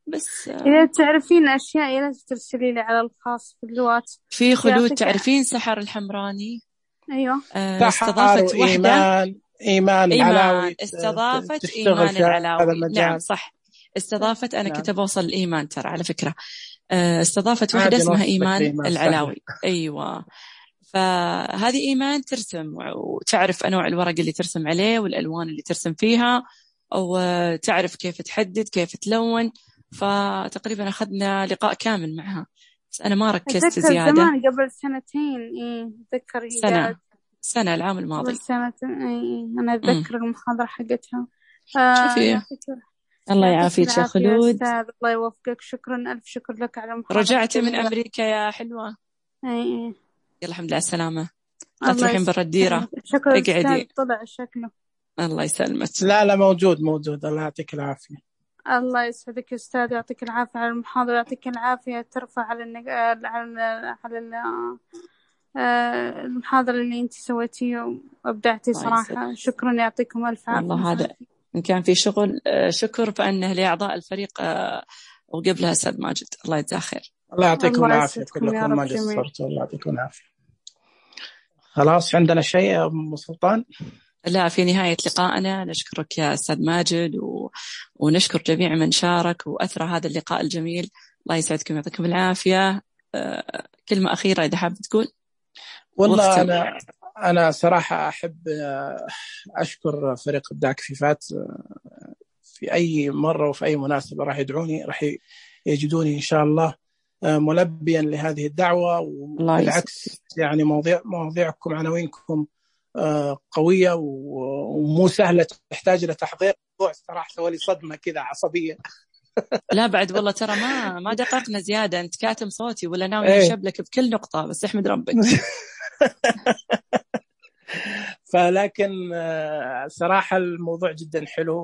بس اذا تعرفين اشياء لازم ترسلي لي على الخاص في الواتس. في خلود تعرفين سحر الحمراني؟ ايوه. استضافت وحده ايمان العلاوي، استضافت ايمان العلاوي. نعم صح، استضافت. انا كنت بوصل الايمان ترى على فكره. استضافت وحده اسمها ايمان العلاوي. ايوه. فهذه ايمان ترسم وتعرف انواع الورق اللي ترسم عليه والالوان اللي ترسم فيها، وتعرف كيف تحدد كيف تلون. فتقريبا اخذنا لقاء كامل معها، بس انا ما ركزت زياده. زمان قبل سنتين. اتذكر سنه العام الماضي. انا اتذكر المحاضره حقتها. شوفي الله يعافيك يا خلود. الله يوفقك. شكرا، الف شكر لك على المحاضره. رجعتي من امريكا يا حلوه؟ يلا الحمد لله على السلامه. لا تروحين برا الديره. شكرا. اقعدي. طلع شكله. الله يسلمك. لا موجود. الله يعطيك العافيه. الله يسعدك يا أستاذ، يعطيك العافية على المحاضرة، يعطيك العافية ترفع على المحاضرة اللي أنت سويتيه وأبدعتي صراحة. شكرا، يعطيكم ألف عافية. والله هذا إن كان في شغل شكر فأنه لأعضاء الفريق وقبلها أستاذ ماجد. الله يجزاه خير. الله يعطيكم الله العافية يسعدكم يا كلكم، رب ما جميع. قصرتوا. الله يعطيكم العافية. خلاص عندنا شيء يا أم سلطان؟ لا، في نهاية لقائنا نشكرك يا أستاذ ماجد ونشكر جميع من شارك وأثرى هذا اللقاء الجميل. الله يسعدكم ويعطيكم العافية. كلمة أخيرة إذا حاب تقول. والله أنا صراحة أحب أشكر فريق إبداع كفيفات. في أي مرة وفي أي مناسبة راح يدعوني، راح يجدوني إن شاء الله ملبيا لهذه الدعوة. وبالعكس يعني مواضيعكم عناوينكم قوية ومو سهلة، تحتاج إلى تحضير. صراحة سوالي صدمة كذا عصبية. لا بعد والله ترى ما دققنا زيادة. أنت كاتم صوتي ولا ناوي نشبلك بكل نقطة، بس احمد ربك. فلكن صراحة الموضوع جدا حلو،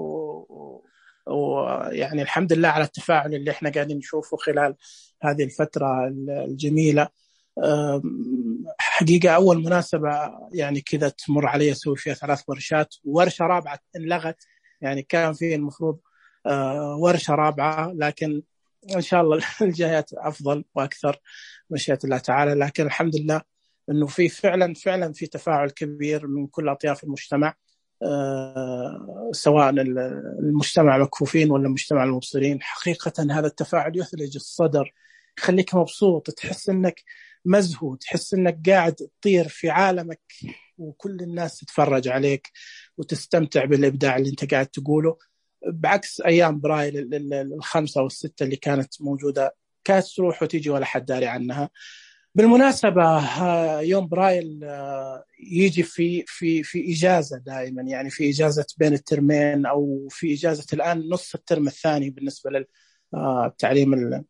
ويعني الحمد لله على التفاعل اللي احنا قاعدين نشوفه خلال هذه الفترة الجميلة. حقيقة أول مناسبة يعني كذا تمر علي أسوي فيها 3 ورشات، ورشة رابعة انلغت، يعني كان فيه المفروض ورشة رابعة، لكن إن شاء الله الجايات أفضل وأكثر مشيئة الله تعالى. لكن الحمد لله إنه في فعلا في تفاعل كبير من كل أطياف المجتمع، سواء المجتمع مكفوفين ولا المجتمع المبصرين. حقيقة هذا التفاعل يثلج الصدر، يخليك مبسوط، تحس إنك مزهو، تحس إنك قاعد تطير في عالمك وكل الناس تتفرج عليك وتستمتع بالإبداع اللي أنت قاعد تقوله. بعكس أيام برايل 5 أو 6 اللي كانت موجودة، كانت تروح وتيجي ولا حد داري عنها. بالمناسبة يوم برايل يجي في إجازة دائما، يعني في إجازة بين الترمين أو في إجازة الآن نص الترم الثاني بالنسبة للتعليم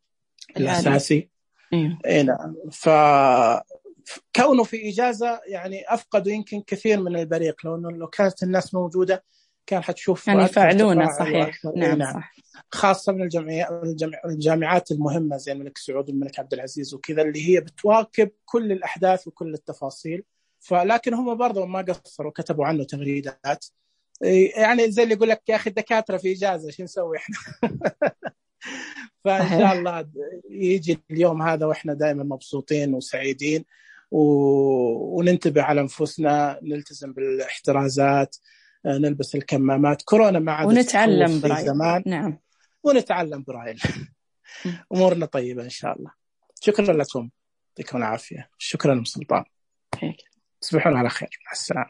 الأساسي. نعم. فكونه في إجازة يعني أفقدوا يمكن كثير من البريق. لو كانت الناس موجودة كان حتشوف يعني يفعلونه. صحيح. نعم صح. خاصة من الجامعات المهمة زي الملك سعود والملك عبد العزيز وكذا، اللي هي بتواكب كل الأحداث وكل التفاصيل. لكن هم برضو ما قصروا، كتبوا عنه تغريدات، يعني زي اللي يقول لك يا أخي الدكاترة في إجازة شو نسوي إحنا. فإن شاء الله يجي اليوم هذا وإحنا دائما مبسوطين وسعيدين، وننتبه على أنفسنا، نلتزم بالاحترازات، نلبس الكمامات، كورونا ما عادت ونتعلم برايل. زمان. نعم. ونتعلم برايل. أمورنا طيبة إن شاء الله. شكرا لكم، يعطيكم العافية. شكرا سلطان. تصبحون على خير. مع السلامة.